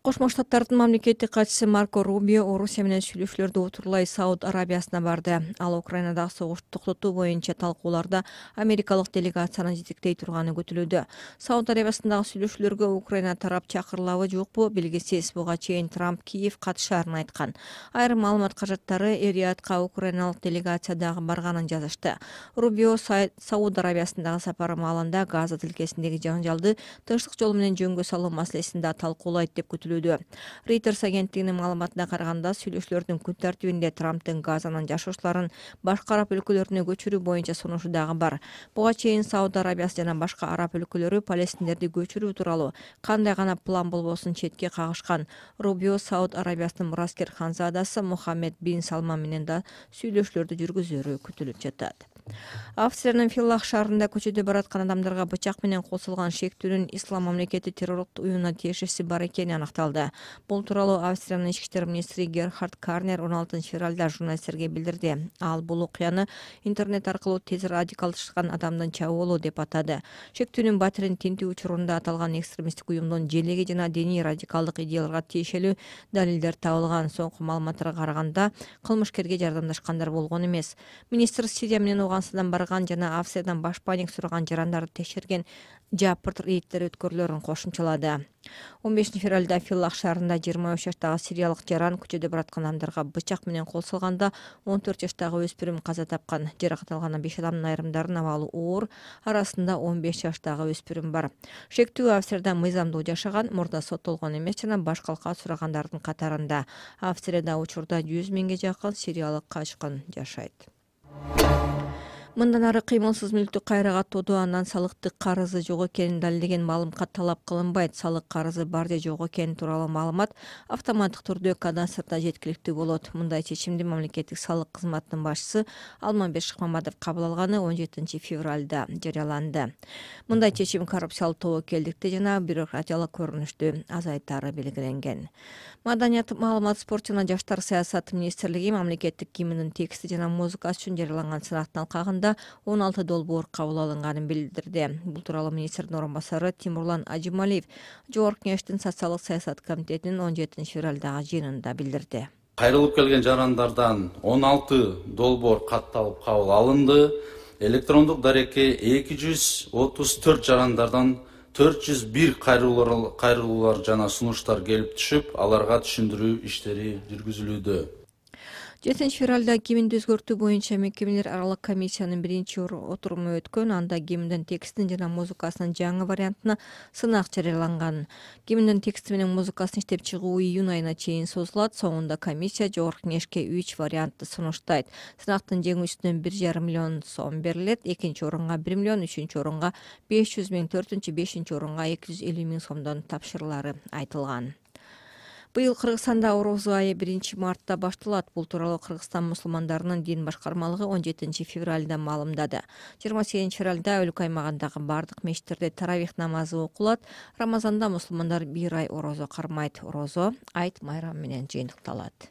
Кошмо Штаттардын мамлекеттик катчысы Марко Рубио Орусия менен сүйлөшүүлөрдү утурлай Сауд Арабиясына барды. Ал Украинадагы согушту токтотуу боюнча талкууларда америкалык делегацияны жетектей турганы күтүлүүдө. Сауд Арабиясындагы сүйлөшүүлөргө Украина тарап чакырылабы жокпу белгисиз. Буга чейин Трамп Киев катышаарын айткан. Айрым маалымат каражаттары Эр-Риядка украиналык делегация дагы барганын жазышты. Рубио Сауд Арабиясындагы сапары маалында Газа тилкесиндеги жаңжалды тынчтык жолу менен жөнгө салуу маселесин да талкуулайт деп күтүлүүдө. Reuters агенттигинин маалыматына караганда, сүйлөшүүлөрдүн күн тартибинде Трамптын Газанын жашоочуларын башка араб өлкөлөрүнө көчүрүү боюнча сунушу дагы бар. Буга чейин Сауд Арабиясы жана башка араб өлкөлөрү палестиндерди көчүрүү тууралуу кандай гана план болбосун четке кагышкан. Рубио Сауд Арабиясынын мураскер ханзадасы Мухаммед бин Салман менен да сүйлөшүүлөрдү жүргүзөрү күтүлүп жатат. Австриянын Филлах шаарында көчөдө бараткан адамдарга бычак менен кол салган шектүүнүн Ислам мамлекети террорлук уюмуна тиешеси бар экени аныкталды. Бул тууралуу Австриянын ички иштер министри Герхард Карнер он алтынчы февралда журналисттерге билдирди. Ал бул окуяны интернет аркылуу тез радикалдашкан адамдын чабуулу деп атады. Шектүүнүн батирин тинтүү учурунда аталган экстремисттик уюмдун желеги жана диний радикалдык идеяларга тиешелүү далилдер табылган. Соңку маалыматтарга караганда, кылмышкерге жардамдашкандар болгон эмес. Министр Сирия менен Афганстандан барган жана Австриядан башпаник сураган жарандарды текшерген жапырт рейдтер өткөрүлөрүн кошумчалады. он бешинчи февралда Филлах шаарында жыйырма үч жаштагы сириялык жаран көчөдө бараткан адамдарга бычак менен кол салганда он төрт жаштагы өспүрүм каза тапкан. Жаракат алган беш адамдын айрымдарынын абалы оор, арасында он беш жаштагы өспүрүм бар. Шектүү Австрияда мыйзамдуу жашаган, мурда соттолгон эмес жана баш калка сурагандардын катарында. Австрияда учурда жүз миңге жакын сириялык качкын жашайт. Мындан ары кыймылсыз мүлктү кайра каттоодо андан салыктык карызы жок экенин далилдеген маалыматка талап кылынбайт. Салык карызы бар же жок экени тууралуу маалымат автоматтык түрдө кадастрда жеткиликтүү болот. Мындай чечимди мамлекеттик салык кызматынын башчысы Алмамбет Шыкмаматов кабыл алганы он жетинчи февралда жарыяланды. Мындай чечим коррупциялык тобокелдикти жана бюрократиялык көрүнүштү азайтаары белгиленген. Маданият, маалымат, спорт жана жаштар саясаты министрлиги мамлекеттик гимндин тексти жана музыкасы үчүн жарыяланган сынактын алкагында он алты долбоор кабыл алынганын билдирди. Бул тууралуу министрдин орун басары Тимурлан Ажималиев Жогорку Кеңештин социалдык саясат комитетинин он жетинчи февралдагы жыйынында билдирди. Кайрылып келген жарандардан он алты долбоор катталып кабыл алынды. Электрондук дарекке эки жүз отуз төрт жарандардан төрт жүз бир кайрылуулар жана сунуштар келип түшүп, аларга түшүндүрүү иштери жүргүзүлүүдө. жетинчи февралда гимнди өзгөртүү боюнча мекемелер аралык комиссиянын биринчи отуруму өткөн. Анда гимндин текстин жана музыкасынын жаңы вариантына сынак жарыяланган. Гимндин тексти менен музыкасын иштеп чыгуу июнь айына чейин созулат. Соңунда комиссия Жогорку Кеңешке үч вариантты сунуштайт. Сынактын жеңүүчүсүнө бир жарым миллион сом берилет, экинчи орунга бир миллион, үчүнчү орунга беш жүз миң, төртүнчү, бешинчи орунга эки жүз элүү миң сомдон тапшырылары айтылган. Быйыл Кыргызстанда Орозо айы биринчи мартта башталат. Бул тууралуу Кыргызстан мусулмандарынын дин башкармалыгы он жетинчи февралда маалымдады. жыйырма сегизинчи февралда өлкө аймагындагы бардык мечиттерде таравих намазы окулат. Рамазанда мусулмандар бир ай орозо кармайт. Орозо айт майрам менен жыйынтыкталат.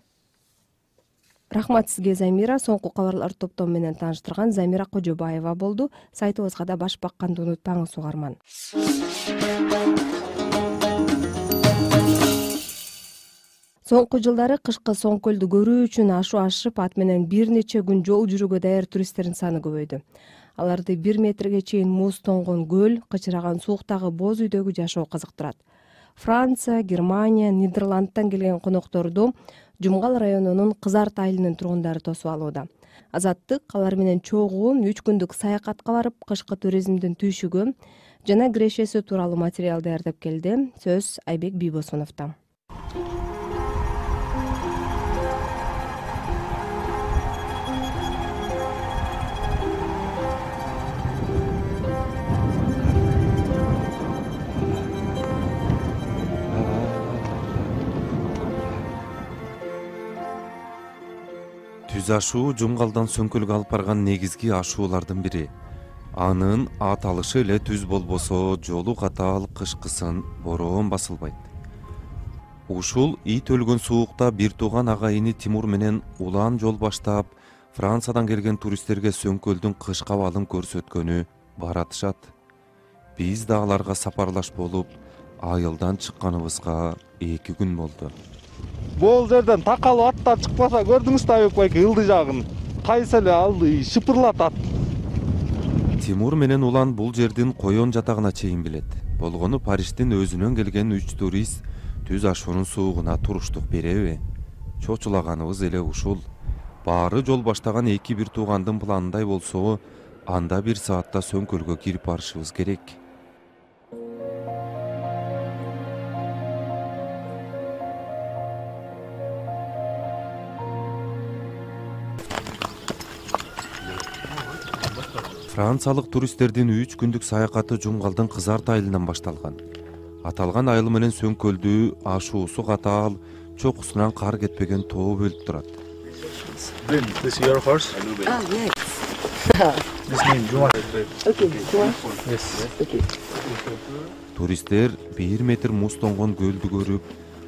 Рахмат сизге, Замира. Соңку кабарлар топтому менен тааныштырган Замира Кожобаева болду. Сайтыбызга да баш бакканды унутпаңыз, угарман. Соңку жылдары кышкы Соңкөлдү көрүү үчүн ашу ашып, ат менен бир нече күн жол жүрүүгө даяр туристтердин саны көбөйдү. Аларды бир метрге чейин муз тоңгон көл, кычыраган сууктагы боз үйдөгү жашоо кызыктырат. Франция, Германия, Нидерландтан келген конокторду Жумгал районунун Кызарт айылынын тургундары тосуп алууда. Азаттык алар менен чогуу үч күндүк саякатка барып, кышкы туризмдин түйшүгү жана кирешеси тууралуу материал даярдап келди. Сөз Айбек Бийбосуновдо. Түз ашуу Жумгалдан Сөңкөлгө алып барган негизги ашуулардын бири. Анын аталышы эле түз болбосо, жолу катаал, кышкысын бороон басылбайт. Ушул ит өлгөн суукта бир тууган агайыны Тимур менен улан жол баштап, Франциядан келген туристтерге Сөңкөлдүн кышкы абалын көрсөткөнү баратышат. Биз да аларга сапарлаш болуп, айылдан чыкканыбызга эки күн болду. Бул жерден такалып аттар чыкпаса, көрдүңүз да Айбек байке, ылдый жагын кайсы эле алды шыпырлатат. Тимур менен улан бул жердин коён жатагына чейин билет. Болгону Париштин өзүнөн келген үч турист түз ашуунун суугуна туруштук береби? Чочулаганыбыз эле ушул. Баары жол баштаган эки бир туугандын планындай болсо, анда бир саатта Сөңкөлгө кирип барышыбыз керек. Франциялык туристтердин үч күндүк саякаты Жумгалдын Кызарт айылынан башталган. Аталган айыл менен Сөңкөлдү ашуусу катаал, чокусунан кар кетпеген тоо бөлүп турат. Туристтер бир метр муз тоңгон көлдү көрүп,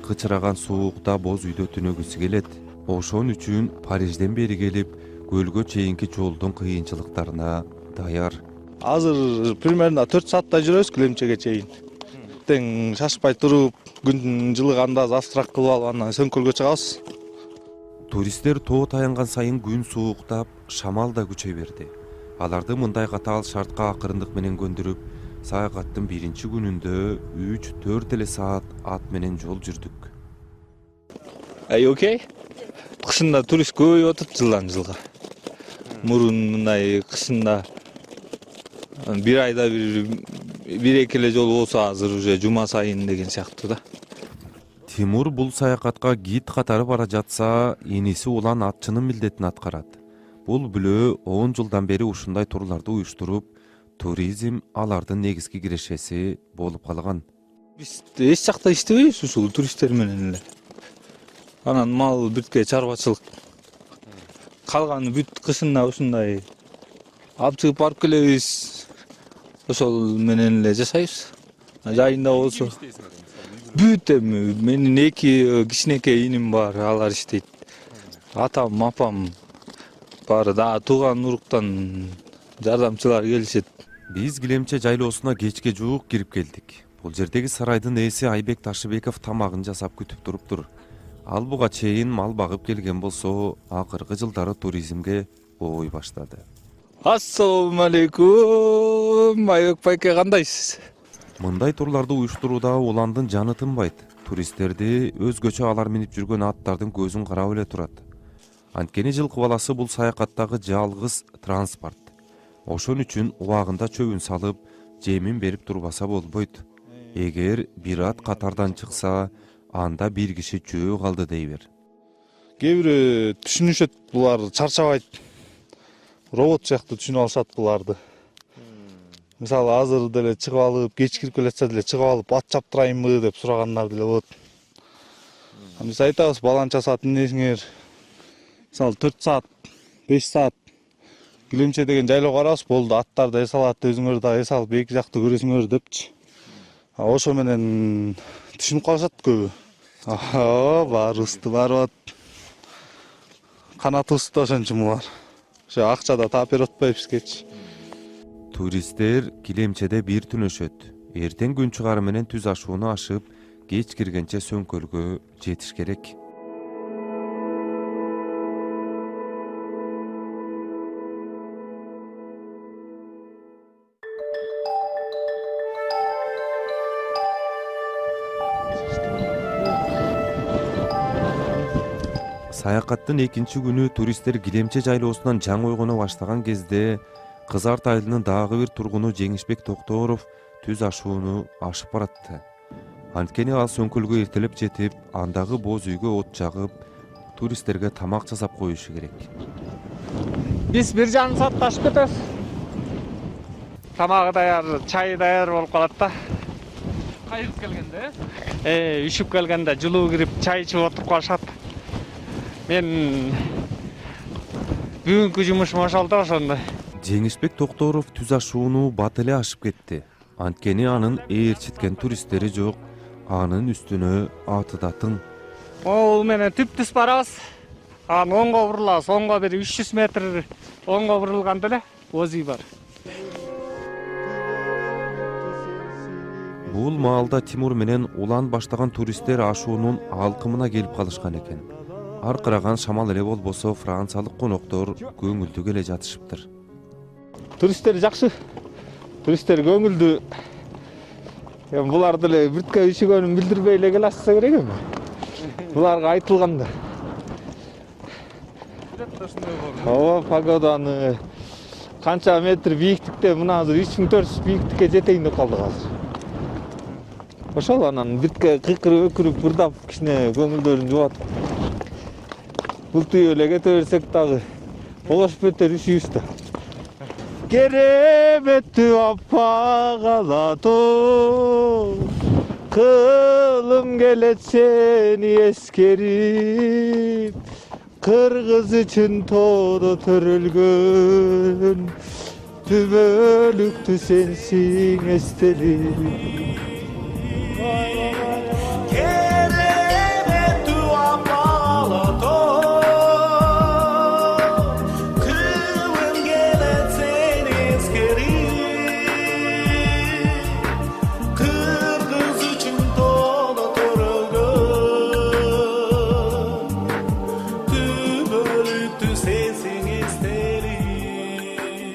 кычыраган суукта боз үйдө түнөгүсү келет. Ошон үчүн Парижден бери келип, көлгө чейинки жолдун кыйынчылыктарына даяр. Азыр примерно төрт сааттай жүрөбүз Килемчеге чейин. Тең шашпай туруп, күн жылыганда завтрак кылып алып, андан Сөңкөлгө чыгабыз. Туристтер тоо таянган сайын күн сууктап, шамал да күчөй берди. Аларды мындай катаал шартка акырындык менен көндүрүп, саякаттын биринчи күнүндө үч төрт эле саат ат менен жол жүрдүк. Ай, окей. Кышында турист көбөйүп атат жылдан жылга. Мурун мындай кышында бир айда бир бир эки эле жол болсо, азыр уже жума сайын деген сыяктуу да. Тимур бул саякатка гид катары бара жатса, иниси улан атчынын милдетин аткарат. бул бүлөө он жылдан бери ушундай турларды уюштуруп, туризм алардын негизги кирешеси болуп калган. Биз эч жакта иштебейбиз ушул туристтер менен эле. Анан мал бүткө чарбачылык. Калганы бүт кышында ушундай алып чыгып барып келебиз. Ошол менен эле жашайбыз. Жайында болсо бүт эми менин эки кичинекей иним бар, алар иштейт. Атам, апам баары да тууган уруктан жардамчылар келишет. Биз Килемче жайлоосуна кечке жуук кирип келдик. Бул жердеги сарайдын ээси Айбек Ташыбеков тамагын жасап күтүп туруптур. Ал буга чейин мал багып келген болсо, акыркы жылдары туризмге ой баштады. Ассаламу алейкум. Айбек байке, кандайсыз? Мындай турларды уюштурууда уландын жаны тынбайт. Туристтерди өзгөчө алар минип жүргөн аттардын көзүн карап эле турат. Анткени жылкы баласы бул саякаттагы жалгыз транспорт. Ошон үчүн убагында чөбүн салып, жемин берип турбаса болбойт. Эгер бир ат катардан чыкса, анда бир киши жөө калды дей бер. Кээ бири түшүнүшөт, булар чарчабайт. Робот сыяктуу түшүнүп алышат буларды. Мисалы, азыр деле чыгып алып, кеч кирип келатса деле чыгып алып, ат чаптырайынбы деп сурагандар деле болот. Биз айтабыз, баланча саат минесиңер. Мисалы, төрт саат, беш саат Килемче деген жайлоого барабыз, болду, аттарды эс алат, өзүңөр да эс алып эки жакты көрөсүңөр депчи. Ошо менен түшүнүп калышат көбү. Аа, баарыбызды барып ат. Канатыбызды ошон үчүн булар. Ошо акчада таап берип атпайбы бизгечи. Туристтер Килемчеде бир түнөшөт. Эртең күн чыгары менен түз ашууну ашып, кеч киргенче сөңкөлгө жетиш керек. Саякаттын экинчи күнү туристтер Килемче жайлоосунан жаңы ойгоно баштаган кезде Кызарт айылынын дагы бир тургуну Жеңишбек Токторов түз ашууну ашып баратты. Анткени ал сөңкөлгө эртелеп жетип, андагы боз үйгө от жагып, туристтерге тамак жасап коюшу керек. Биз бир жарым саатта ашып кетебиз. Тамагы даяр, чайы даяр болуп калат да. Кайрып келгенде? Э, үшүп келгенде жылуу кирип, чай ичип отуруп калышат. Мен бүгүнкү жумушум ошол да, ошондой. Жеңишбек Токторов түз ашууну бат эле ашып кетти. Анткени анын ээрчиткен туристтери жок, анын үстүнө аты да тың. Могул менен түп-түз барабыз. Анан оңго бурулабыз, оңго бир үч жүз метр оңго бурулганда эле боз үй бар. Бул маалда Тимур менен улан баштаган туристтер ашуунун алкымына келип калышкан экен. Аркыраган шамал эле болбосо, франциялык коноктор көңүлдүү келе жатышыптыр. Туристтер жакшы. Туристтер көңүлдүү. Эми булар деле бүрткө ишигөнүн билдирбей эле келе атса керек эми. Буларга айтылганда. Ооба, погоданы канча метр бийиктикте, мына азыр үч миң төрт жүз бийиктикке жетейин деп калдык азыр. Ошол анан биртке кыйкырып өкүрүп бырдап кичине көңүлдөрүн жубат. Бултуй эле кете берсек дагы олошуп кетер ишибиз да. Кереметтүү аппак ала тоо, кылым келет сени эскерип, кыргыз үчүн тоодо төрөлгөн, түбөлүктүү сенсиң эстелип.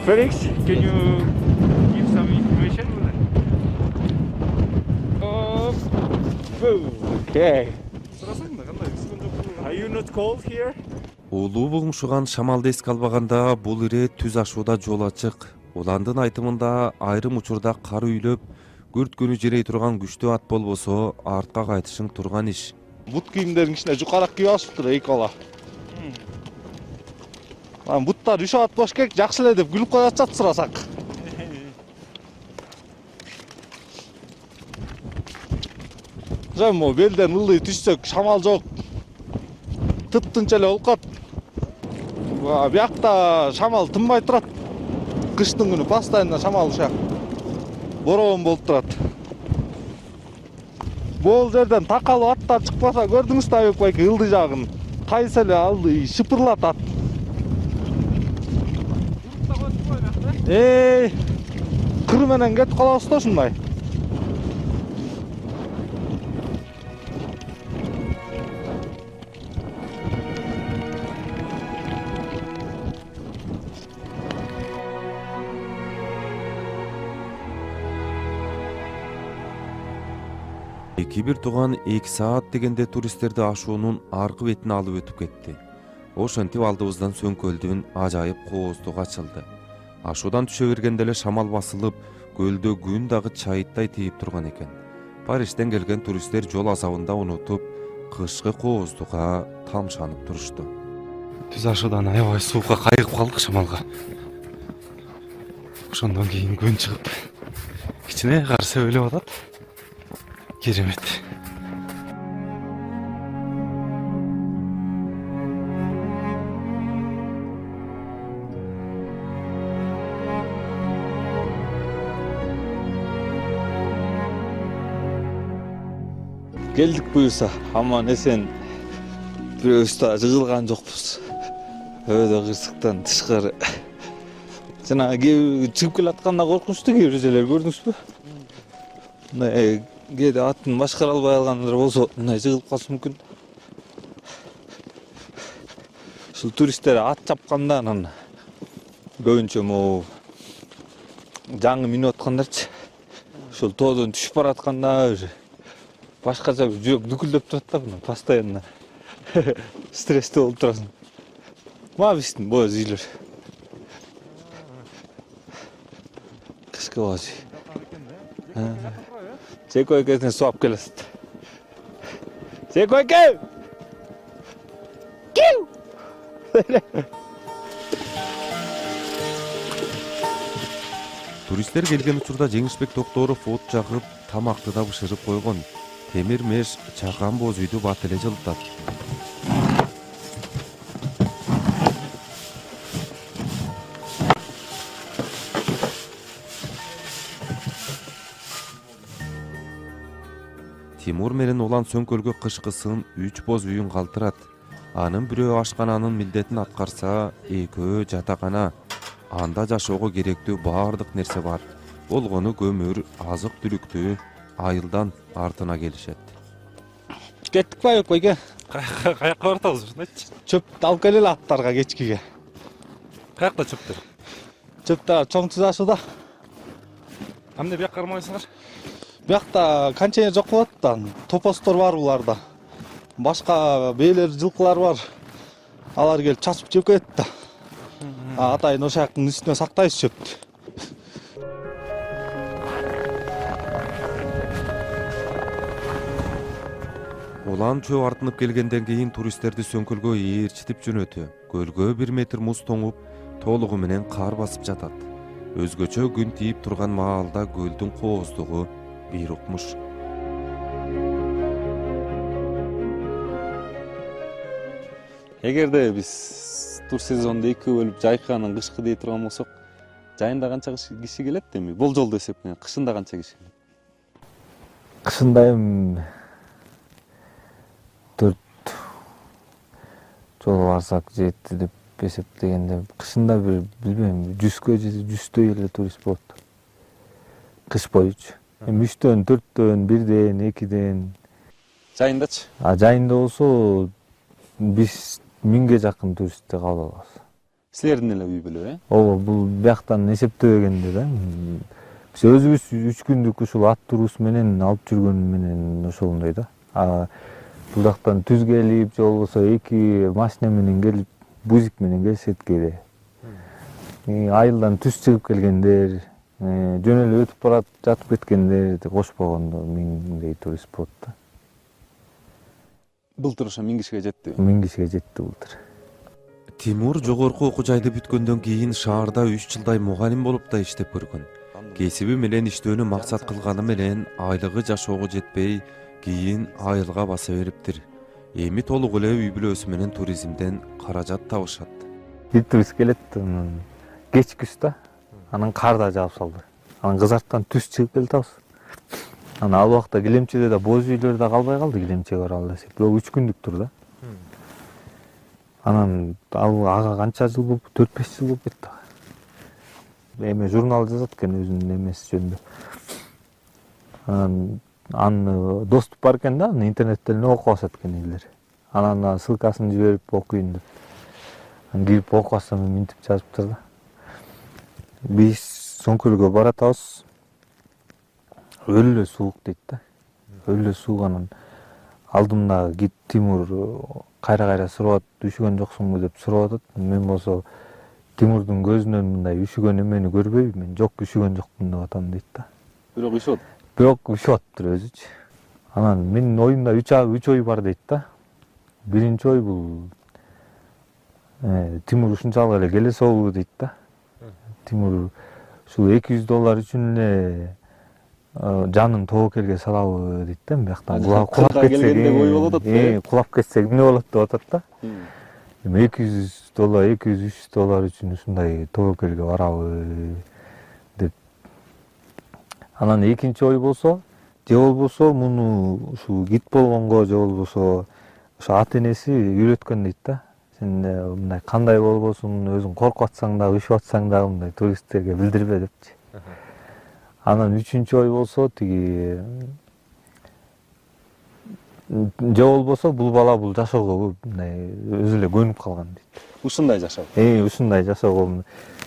Felix, can you give some information on that? Okay. Are you not cold here? Улуу бугумшуган шамалды эске албаганда бул ирет түз ашууда жол ачык. Уландын айтымында айрым учурда кар үйлөп, күрт күнү жерей турган күчтүү ат болбосо артка кайтышың турган иш. Бут кийимдерин кичине жукарак кийип алышыптыр эки бала. Анан буттар үшүп атпаш керек, жакшы эле деп күлүп коюп атышат сурасак. Жам, белден ылдый түшсөк, шамал жок. Тып-тынч эле болуп калат. Биякта шамал тынбай турат. Кыштын күнү постоянно шамал ушак. Бороон болуп турат. Бул жерден такалып аттар чыкпаса, көрдүңүз да Айбек байке, ылдый жагын. Кайсы эле алды шыпырлатат. Эй, кыр менен кетип калабыз да ушундай. эки бир тууган эки саат дегенде туристтерди ашуунун аркы бетине алып өтүп кетти. Ошентип алдыбыздан Сөңкөлдүн ажайып кооздугу ачылды. Ашуудан түшө бергенде эле шамал басылып, көлдө күн дагы чайыттай тийип турган экен. Парижден келген туристтер жол азабында унутуп, кышкы кооздуга тамшанып турушту. Түз ашуудан аябай суукка кайыгып калдык шамалга. Ошондон кийин күн чыгып, кичине кар сөбөлөп атат. Керемет. Келдик буюрса, аман эсен. Бирөөбүз да жыгылган жокпуз. Өйдө кырсыктан тышкары. Жана чыгып келатканда коркунучтуу кээ бир жерлер көрдүңүзбү? Мындай кээде атын башкара албай алгандар болсо, мындай жыгылып калышы мүмкүн. Ушул туристтер ат чапканда анан көбүнчө могу жаңы минип аткандарчы. Ушул тоодон түшүп баратканда башкача жүрөк дүкүлдөп турат да, мына постоянно. Стрессте болуп турасың. Мага биздин боз үйлөр. Кышкы боз үй. Жеко экесине суап келесиз. Жеко эке! Киу! Туристтер келген учурда Жеңишбек Токторов от жагып, тамакты да бышырып койгон. Темир меш чакан боз үйдү бат эле жылытат. Тимур менен улан Сөңкөлгө кышкысын үч боз үйүн калтырат. Анын бирөө ашкананын милдетин аткарса, экөө жатакана. Анда жашоого керектүү баардык нерсе бар. Болгону көмүр, азык түлүктү айылдан артына келишет. Кеттик ба Айбек байке? Каяка баратабыз ушундайчы? Чөп алып келели аттарга кечкиге. Каякта чөптөр? Чөптөр чоң Түз ашууда. Эмне бияка кармайсыңар? Биякта контейнер жок болот да, топостор бар буларда. Башка бээлер, жылкылар бар. Алар келип чачып жеп кетет да. Атайын ошактын үстүнө сактайбыз чөптү. Улан чөө артынып келгенден кийин туристтерди Сөңкөлгө ээрчитип жөнөтү. Көлгө бир метр муз тоңуп, толугу менен кар басып жатат. Өзгөчө күн тийип турган маалда көлдүн кооздугу бир укмуш. Эгерде биз тур сезонду эки бөлүп жайканын кышкы дей турган болсок, жайында канча киши келет эми? Болжолду эсеп менен кышында канча киши келет? Кышында эми төрт жолу барсак жетти деп эсептегенде, кышында бир билбейм, жүзгө же жүздөй эле турист болот. Кыш боючу. Эми үчтөн, төрттөн, бирден, экиден. Жайындачы? А жайында болсо биз миңге жакын туристти кабыл алабыз. Силердин эле үй бүлө, э? Ооба, бул бияктан эсептебегенде да. Биз өзүбүз үч күндүк ушул ат турубуз менен алып жүргөн менен ошондой да. А бул жактан түз келип, же болбосо эки машина менен келип, бузик менен келишет кээде. Айылдан түз чыгып келгендер, жөн эле өтүп барат, жатып кеткендер кошпогондо миңдей турист болот да. Былтыр ошо миң кишиге жетти. Миң кишиге жетти былтыр. Тимур жогорку окуу жайды бүткөндөн кийин шаарда үч жылдай мугалим болуп да иштеп көргөн. Кесиби менен иштөөнү максат кылганы менен айлыгы жашоого жетпей, кийин айылга баса бериптир. Эми толук эле үй бүлөсү менен туризмден каражат табышат. Бир турист келет, кеч күз да, анан кар да жаап салды. Анан кызарттан түз чыгып келатабыз. Анан ал убакта Килемчеде да боз үйлөр да калбай калды, Килемчеге баралы десек. Бирок үч күндүк турду. Анан ал ага канча жыл болуп, төрт беш жыл болуп кетти. Эме журнал жазат экен өзүнүн эмеси жөнүндө. Анан аны доступ бар экен да, интернеттен окуп алышат экен элдер. Анан ссылкасын жиберип окуйн деп. Анан кирип окуп алсам мынтип жазыптыр да. Биз Сөңкөлгө баратабыз. Өлө эле суук дейт да. Өлө эле суук. Анан алдымда Гит Тимур кайра-кайра сурап, үшүгөн жоксуңбу деп сурап атат. Мен болсо Тимурдун көзүнөн мындай үшүгөн эмени көрбөйм. Мен жок, үшүгөн жокмун деп атам дейт да. Бирок үшүп. Бирок үшүп атыптыр өзүчү. Анан менин оюмда үч үч ой бар дейт да. Биринчи ой бул Тимур ушунчалык эле келе соолу дейт да. Тимур ушул эки жүз доллар үчүн эле жанын тобокелге салабы дейт да. Бияктан кулап кетсек, кулап кетсек эмне болот деп атат да. Эми эки жүз доллар, эки жүз үч жүз доллар үчүн ушундай тобокелге барабы деп. Анан экинчи ой болсо, же болбосо муну ушул гид болгонго, же болбосо ошо ата энеси үйрөткөн дейт да. Сен мындай кандай болбосуң, өзүң коркуп атсаң да, үшүп атсаң да мындай туристтерге билдирбе депчи. Анан үчүнчү ой болсо, тиги же болбосо бул бала бул жашоого мындай өзү эле көнүп калган дейт. Ушундай жашоо. Э, ушундай жашоого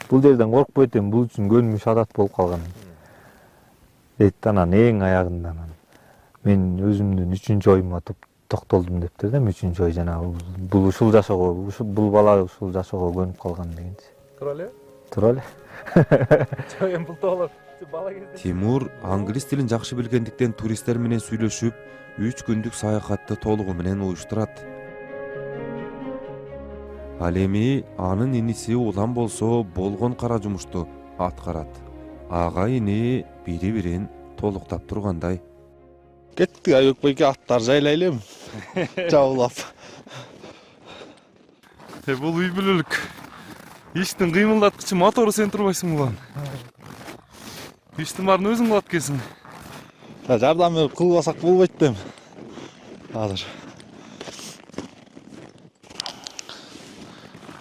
бул жерден коркпойт эми, бул үчүн көнүмүш адат болуп калган. Дейт. Анан эң аягында анан мен өзүмдүн үчүнчү оюма токтолдум дептир да. Үчүнчү ой жанагы бул ушул жашоого, бул бала ушул жашоого көнүп калган дегенчи. Тура эле? Тура эле. Жок, эми бул тоолор бала кезде. Тимур англис тилин жакшы билгендиктен туристтер менен сүйлөшүп, үч күндүк саякатты толугу менен уюштурат. Ал эми анын иниси улам болсо болгон кара жумушту аткарат. Ага ини бири-бирин толуктап тургандай. Кеттик Айбек байке, аттар жайлайлы эми. Жабылап. Э, бул үй бүлөлүк иштин кыймылдаткычы мотору сен турбайсың улан. Иштин баарын өзүң кылат экенсиң. Жардам берип кылбасак болбойт да эми. Азыр.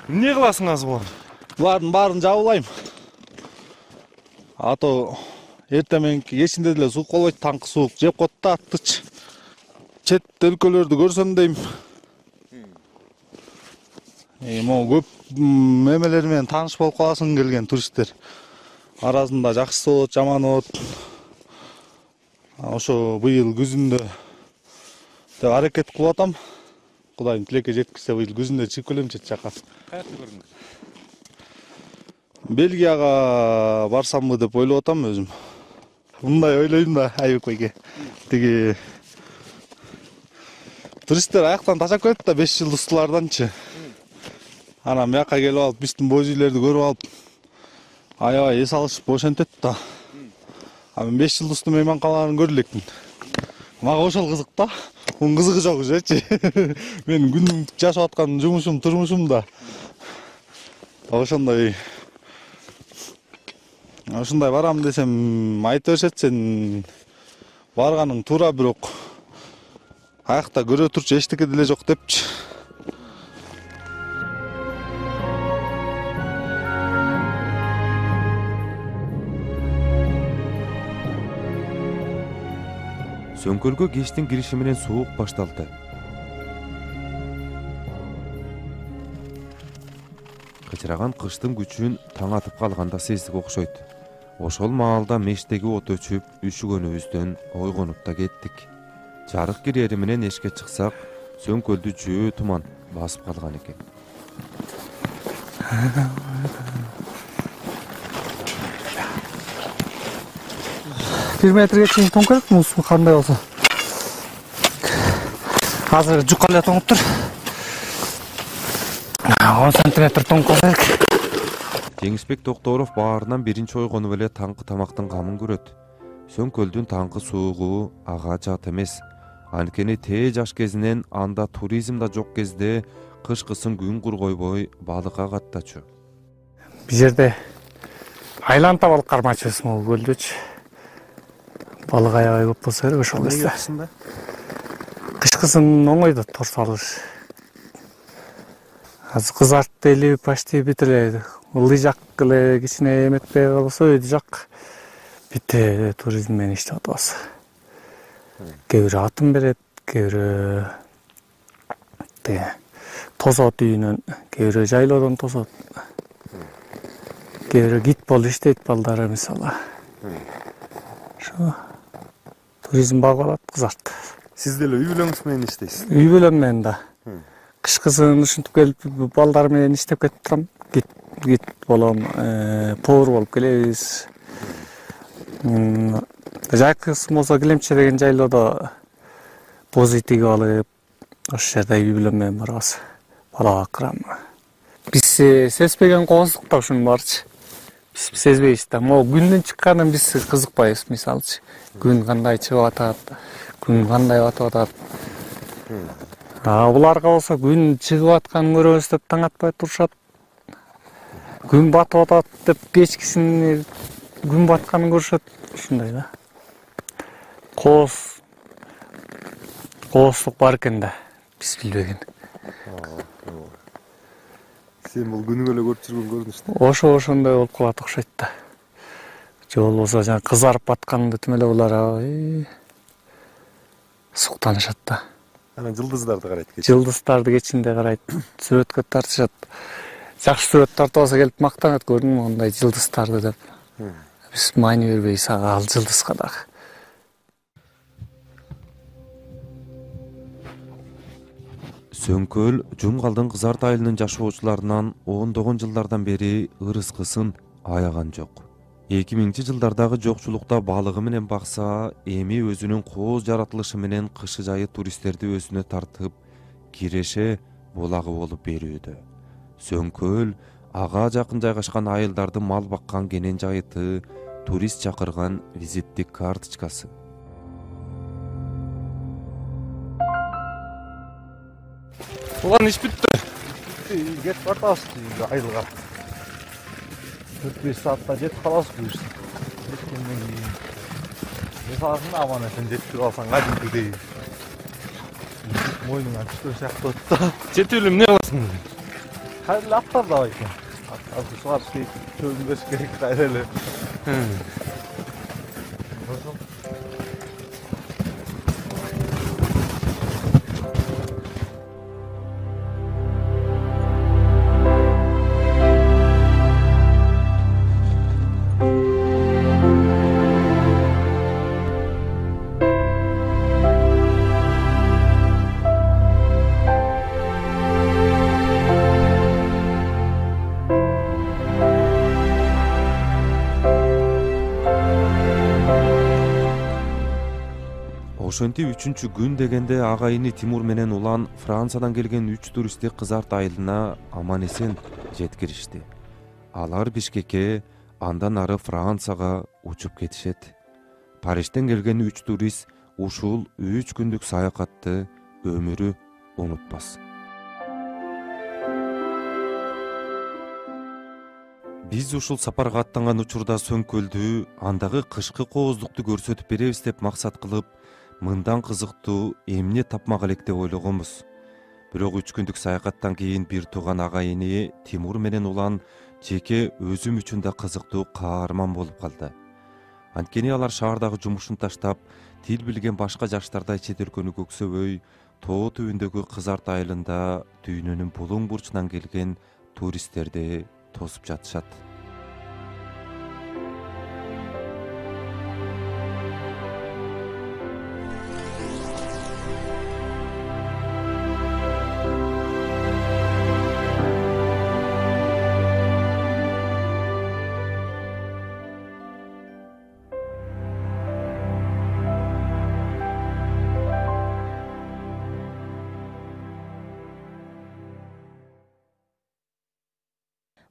Эмне кыласың азыр улан? Булардын баарын жабылайм. Ато эртең мененки кечинде деле суук болбойт, таңкы суук жеп коет да аттычы. Чет өлкөлөрдү көрсөм дейм. Эми могу көп эмелер менен тааныш болуп каласың келген туристтер. Арасында жакшысы болот, жаманы болот. Ошо быйыл күзүндө деп аракет кылып атам. Кудайым тилекке жеткизсе быйыл күзүндө чыгып келем чет жака. Каякта көрдүң? Бельгияга барсамбы деп ойлоп атам өзүм. Мындай ойлойм да Айбек байке. Тиги туристтер аяктан тажап кетет да беш жылдыздууларданчы. Анан бияка келип алып, биздин боз үйлөрдү көрүп алып, аябай эс алышып ошентет да. А мен беш жылдыздуу мейманканаларын көрө элекмин. Мага ошол кызык да. Мунун кызыгы жок ужечи. Мен күнүмдүк жашап аткан жумушум, турмушум да. Ошондой Ушундай барам десем айтып беришет, сен барганың туура, бирок аякта көрө турчу эчтеке деле жок депчи. Сөңкөлгө кечтин кириши менен суук башталды. Кычыраган кыштын күчүн таң атып калганда сездик окшойт. Ошол маалда мештеги от өчүп, үшүгөнүбүздөн ойгонуп да кеттик. Жарык кирери менен эшикке чыксак, Сөңкөлдү жөө туман басып калган экен. бир метрге чейин тоңкерет муз кандай болсо. Азыр жукка эле тоңуп тур. он сантиметр тоң кылса керек. Жеңишбек Токторов баарынан биринчи ойгонуп эле таңкы тамактын камын көрөт. Сөңкөлдүн таңкы суугу ага жат эмес. Анткени тээ жаш кезинен анда туризм да жок кезде кышкысын күн кургойбой балыкка каттачу. Бул жерде айланта балык кармачыбыз могу көлдөчү. Балык аябай көп болсо керек ошол кезде. Кышкысын оңойдо тор салыш. Азыр кызартты эле почти бүт эле. Ылдый жак эле кичине эметпей калса өйдү жак бүт эле туризм менен иштеп атабыз. Кээ бирөө атын берет, кээ бирөө тосот үйүнөн, кээ бирөө жайлоодон тосот. Кээ бирөө гид болуп иштейт балдары мисалы. Ошо туризм багып алат кызарт. Сиз деле үй бүлөңүз менен иштейсиз? Үй бүлөм менен да. Кышкысын ушинтип келип балдар менен иштеп кетип турам. Гид гид болом, повар болуп келебиз. Жайкысын болсо Килемче деген жайлоодо боз үй тигип алып, ошол жерде үй бүлөм менен барабыз. Бала бакырам. Биз сезбеген коомдук да ушунун баарычы. Биз сезбейбиз да. Могу күндүн чыкканын биз кызыкпайбыз, мисалчы. Күн кандай чыгып атат, күн кандай батып атат. А буларга болсо күн чыгып атканын көрөбүз деп таң атпай турушат. Күн батып атат деп кечкисин күн батканын көрүшөт. Ушундай да. Кооз кооздук бар экен да, биз билбеген. Сен бул күнүгө эле көрүп жүргөн көрүнүш да. Ошо ошондой болуп калат окшойт да. Же болбосо жана кызарып батканды түм эле булар суктанышат да. Анан жылдыздарды карайт кечинде. Жылдыздарды кечинде карайт, сүрөткө тартышат. Жакшы сүрөт тартып алса келип мактанат, көрдүңбү мындай жылдыздарды деп. Биз маани бербейбиз ага, ал жылдызга дагы. Сөңкөл Жумгалдын Кызарт айылынын жашоочуларынан ондогон жылдардан бери ырыскысын аяган жок. эки миңинчи жылдардагы жокчулукта балыгы менен бакса, эми өзүнүн кооз жаратылышы менен кышы жайы туристтерди өзүнө тартып, киреше булагы болуп берүүдө. Сөңкөл ага жакын жайгашкан айылдарды мал баккан кенен жайыты, турист чакырган визиттик карточкасы. Улан иш бүттү. Кетип бартабыз айылга. төрт беш саатта жетип калабыз буюрса. Жеткенден кийин мисалын аман эсен жетип алсаң кадимкидей мойнуңан түшкөн сыяктуу болот да. Жетип эле эмне кыласың? Кайра эле аттар да бар экен. Аттарды сугарыш керек, чөгүндөрүш керек кайра эле. Ошентип үчүнчү күн дегенде агайыны Тимур менен улан Франциядан келген үч туристти Кызарт айылына аман эсен жеткиришти. Алар Бишкекке, андан ары Францияга учуп кетишет. Парижден келген үч турист ушул үч күндүк саякатты өмүрү унутпас. Биз ушул сапарга аттанган учурда Сөңкөлдү, андагы кышкы кооздукту көрсөтүп беребиз деп максат кылып, мындан кызыктуу эмне тапмак элек деп ойлогонбуз. Бирок үч күндүк саякаттан кийин бир тууган агайыны Тимур менен улан жеке өзүм үчүн да кызыктуу каарман болуп калды. Анткени алар шаардагы жумушун таштап, тил билген башка жаштардай чет өлкөнү көксөбөй, тоо түбүндөгү Кызарт айылында дүйнөнүн булуң бурчунан келген туристтерди тосуп жатышат.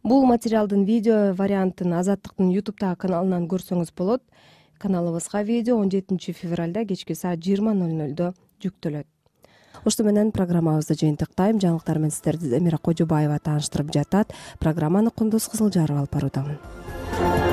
Бул материалдын видео вариантын Азаттыктын ютубтагы каналынан көрсөңүз болот. Каналыбызга видео он жетинчи февралда кечки саат жыйырма ноль нольдо жүктөлөт. Ошто менен программабызды жыйынтыктайм. Жаңылыктар менен сиздерди Замира Кожобаева тааныштырып жатат. Программаны Кундуз Кызылжарова алып баруудамын.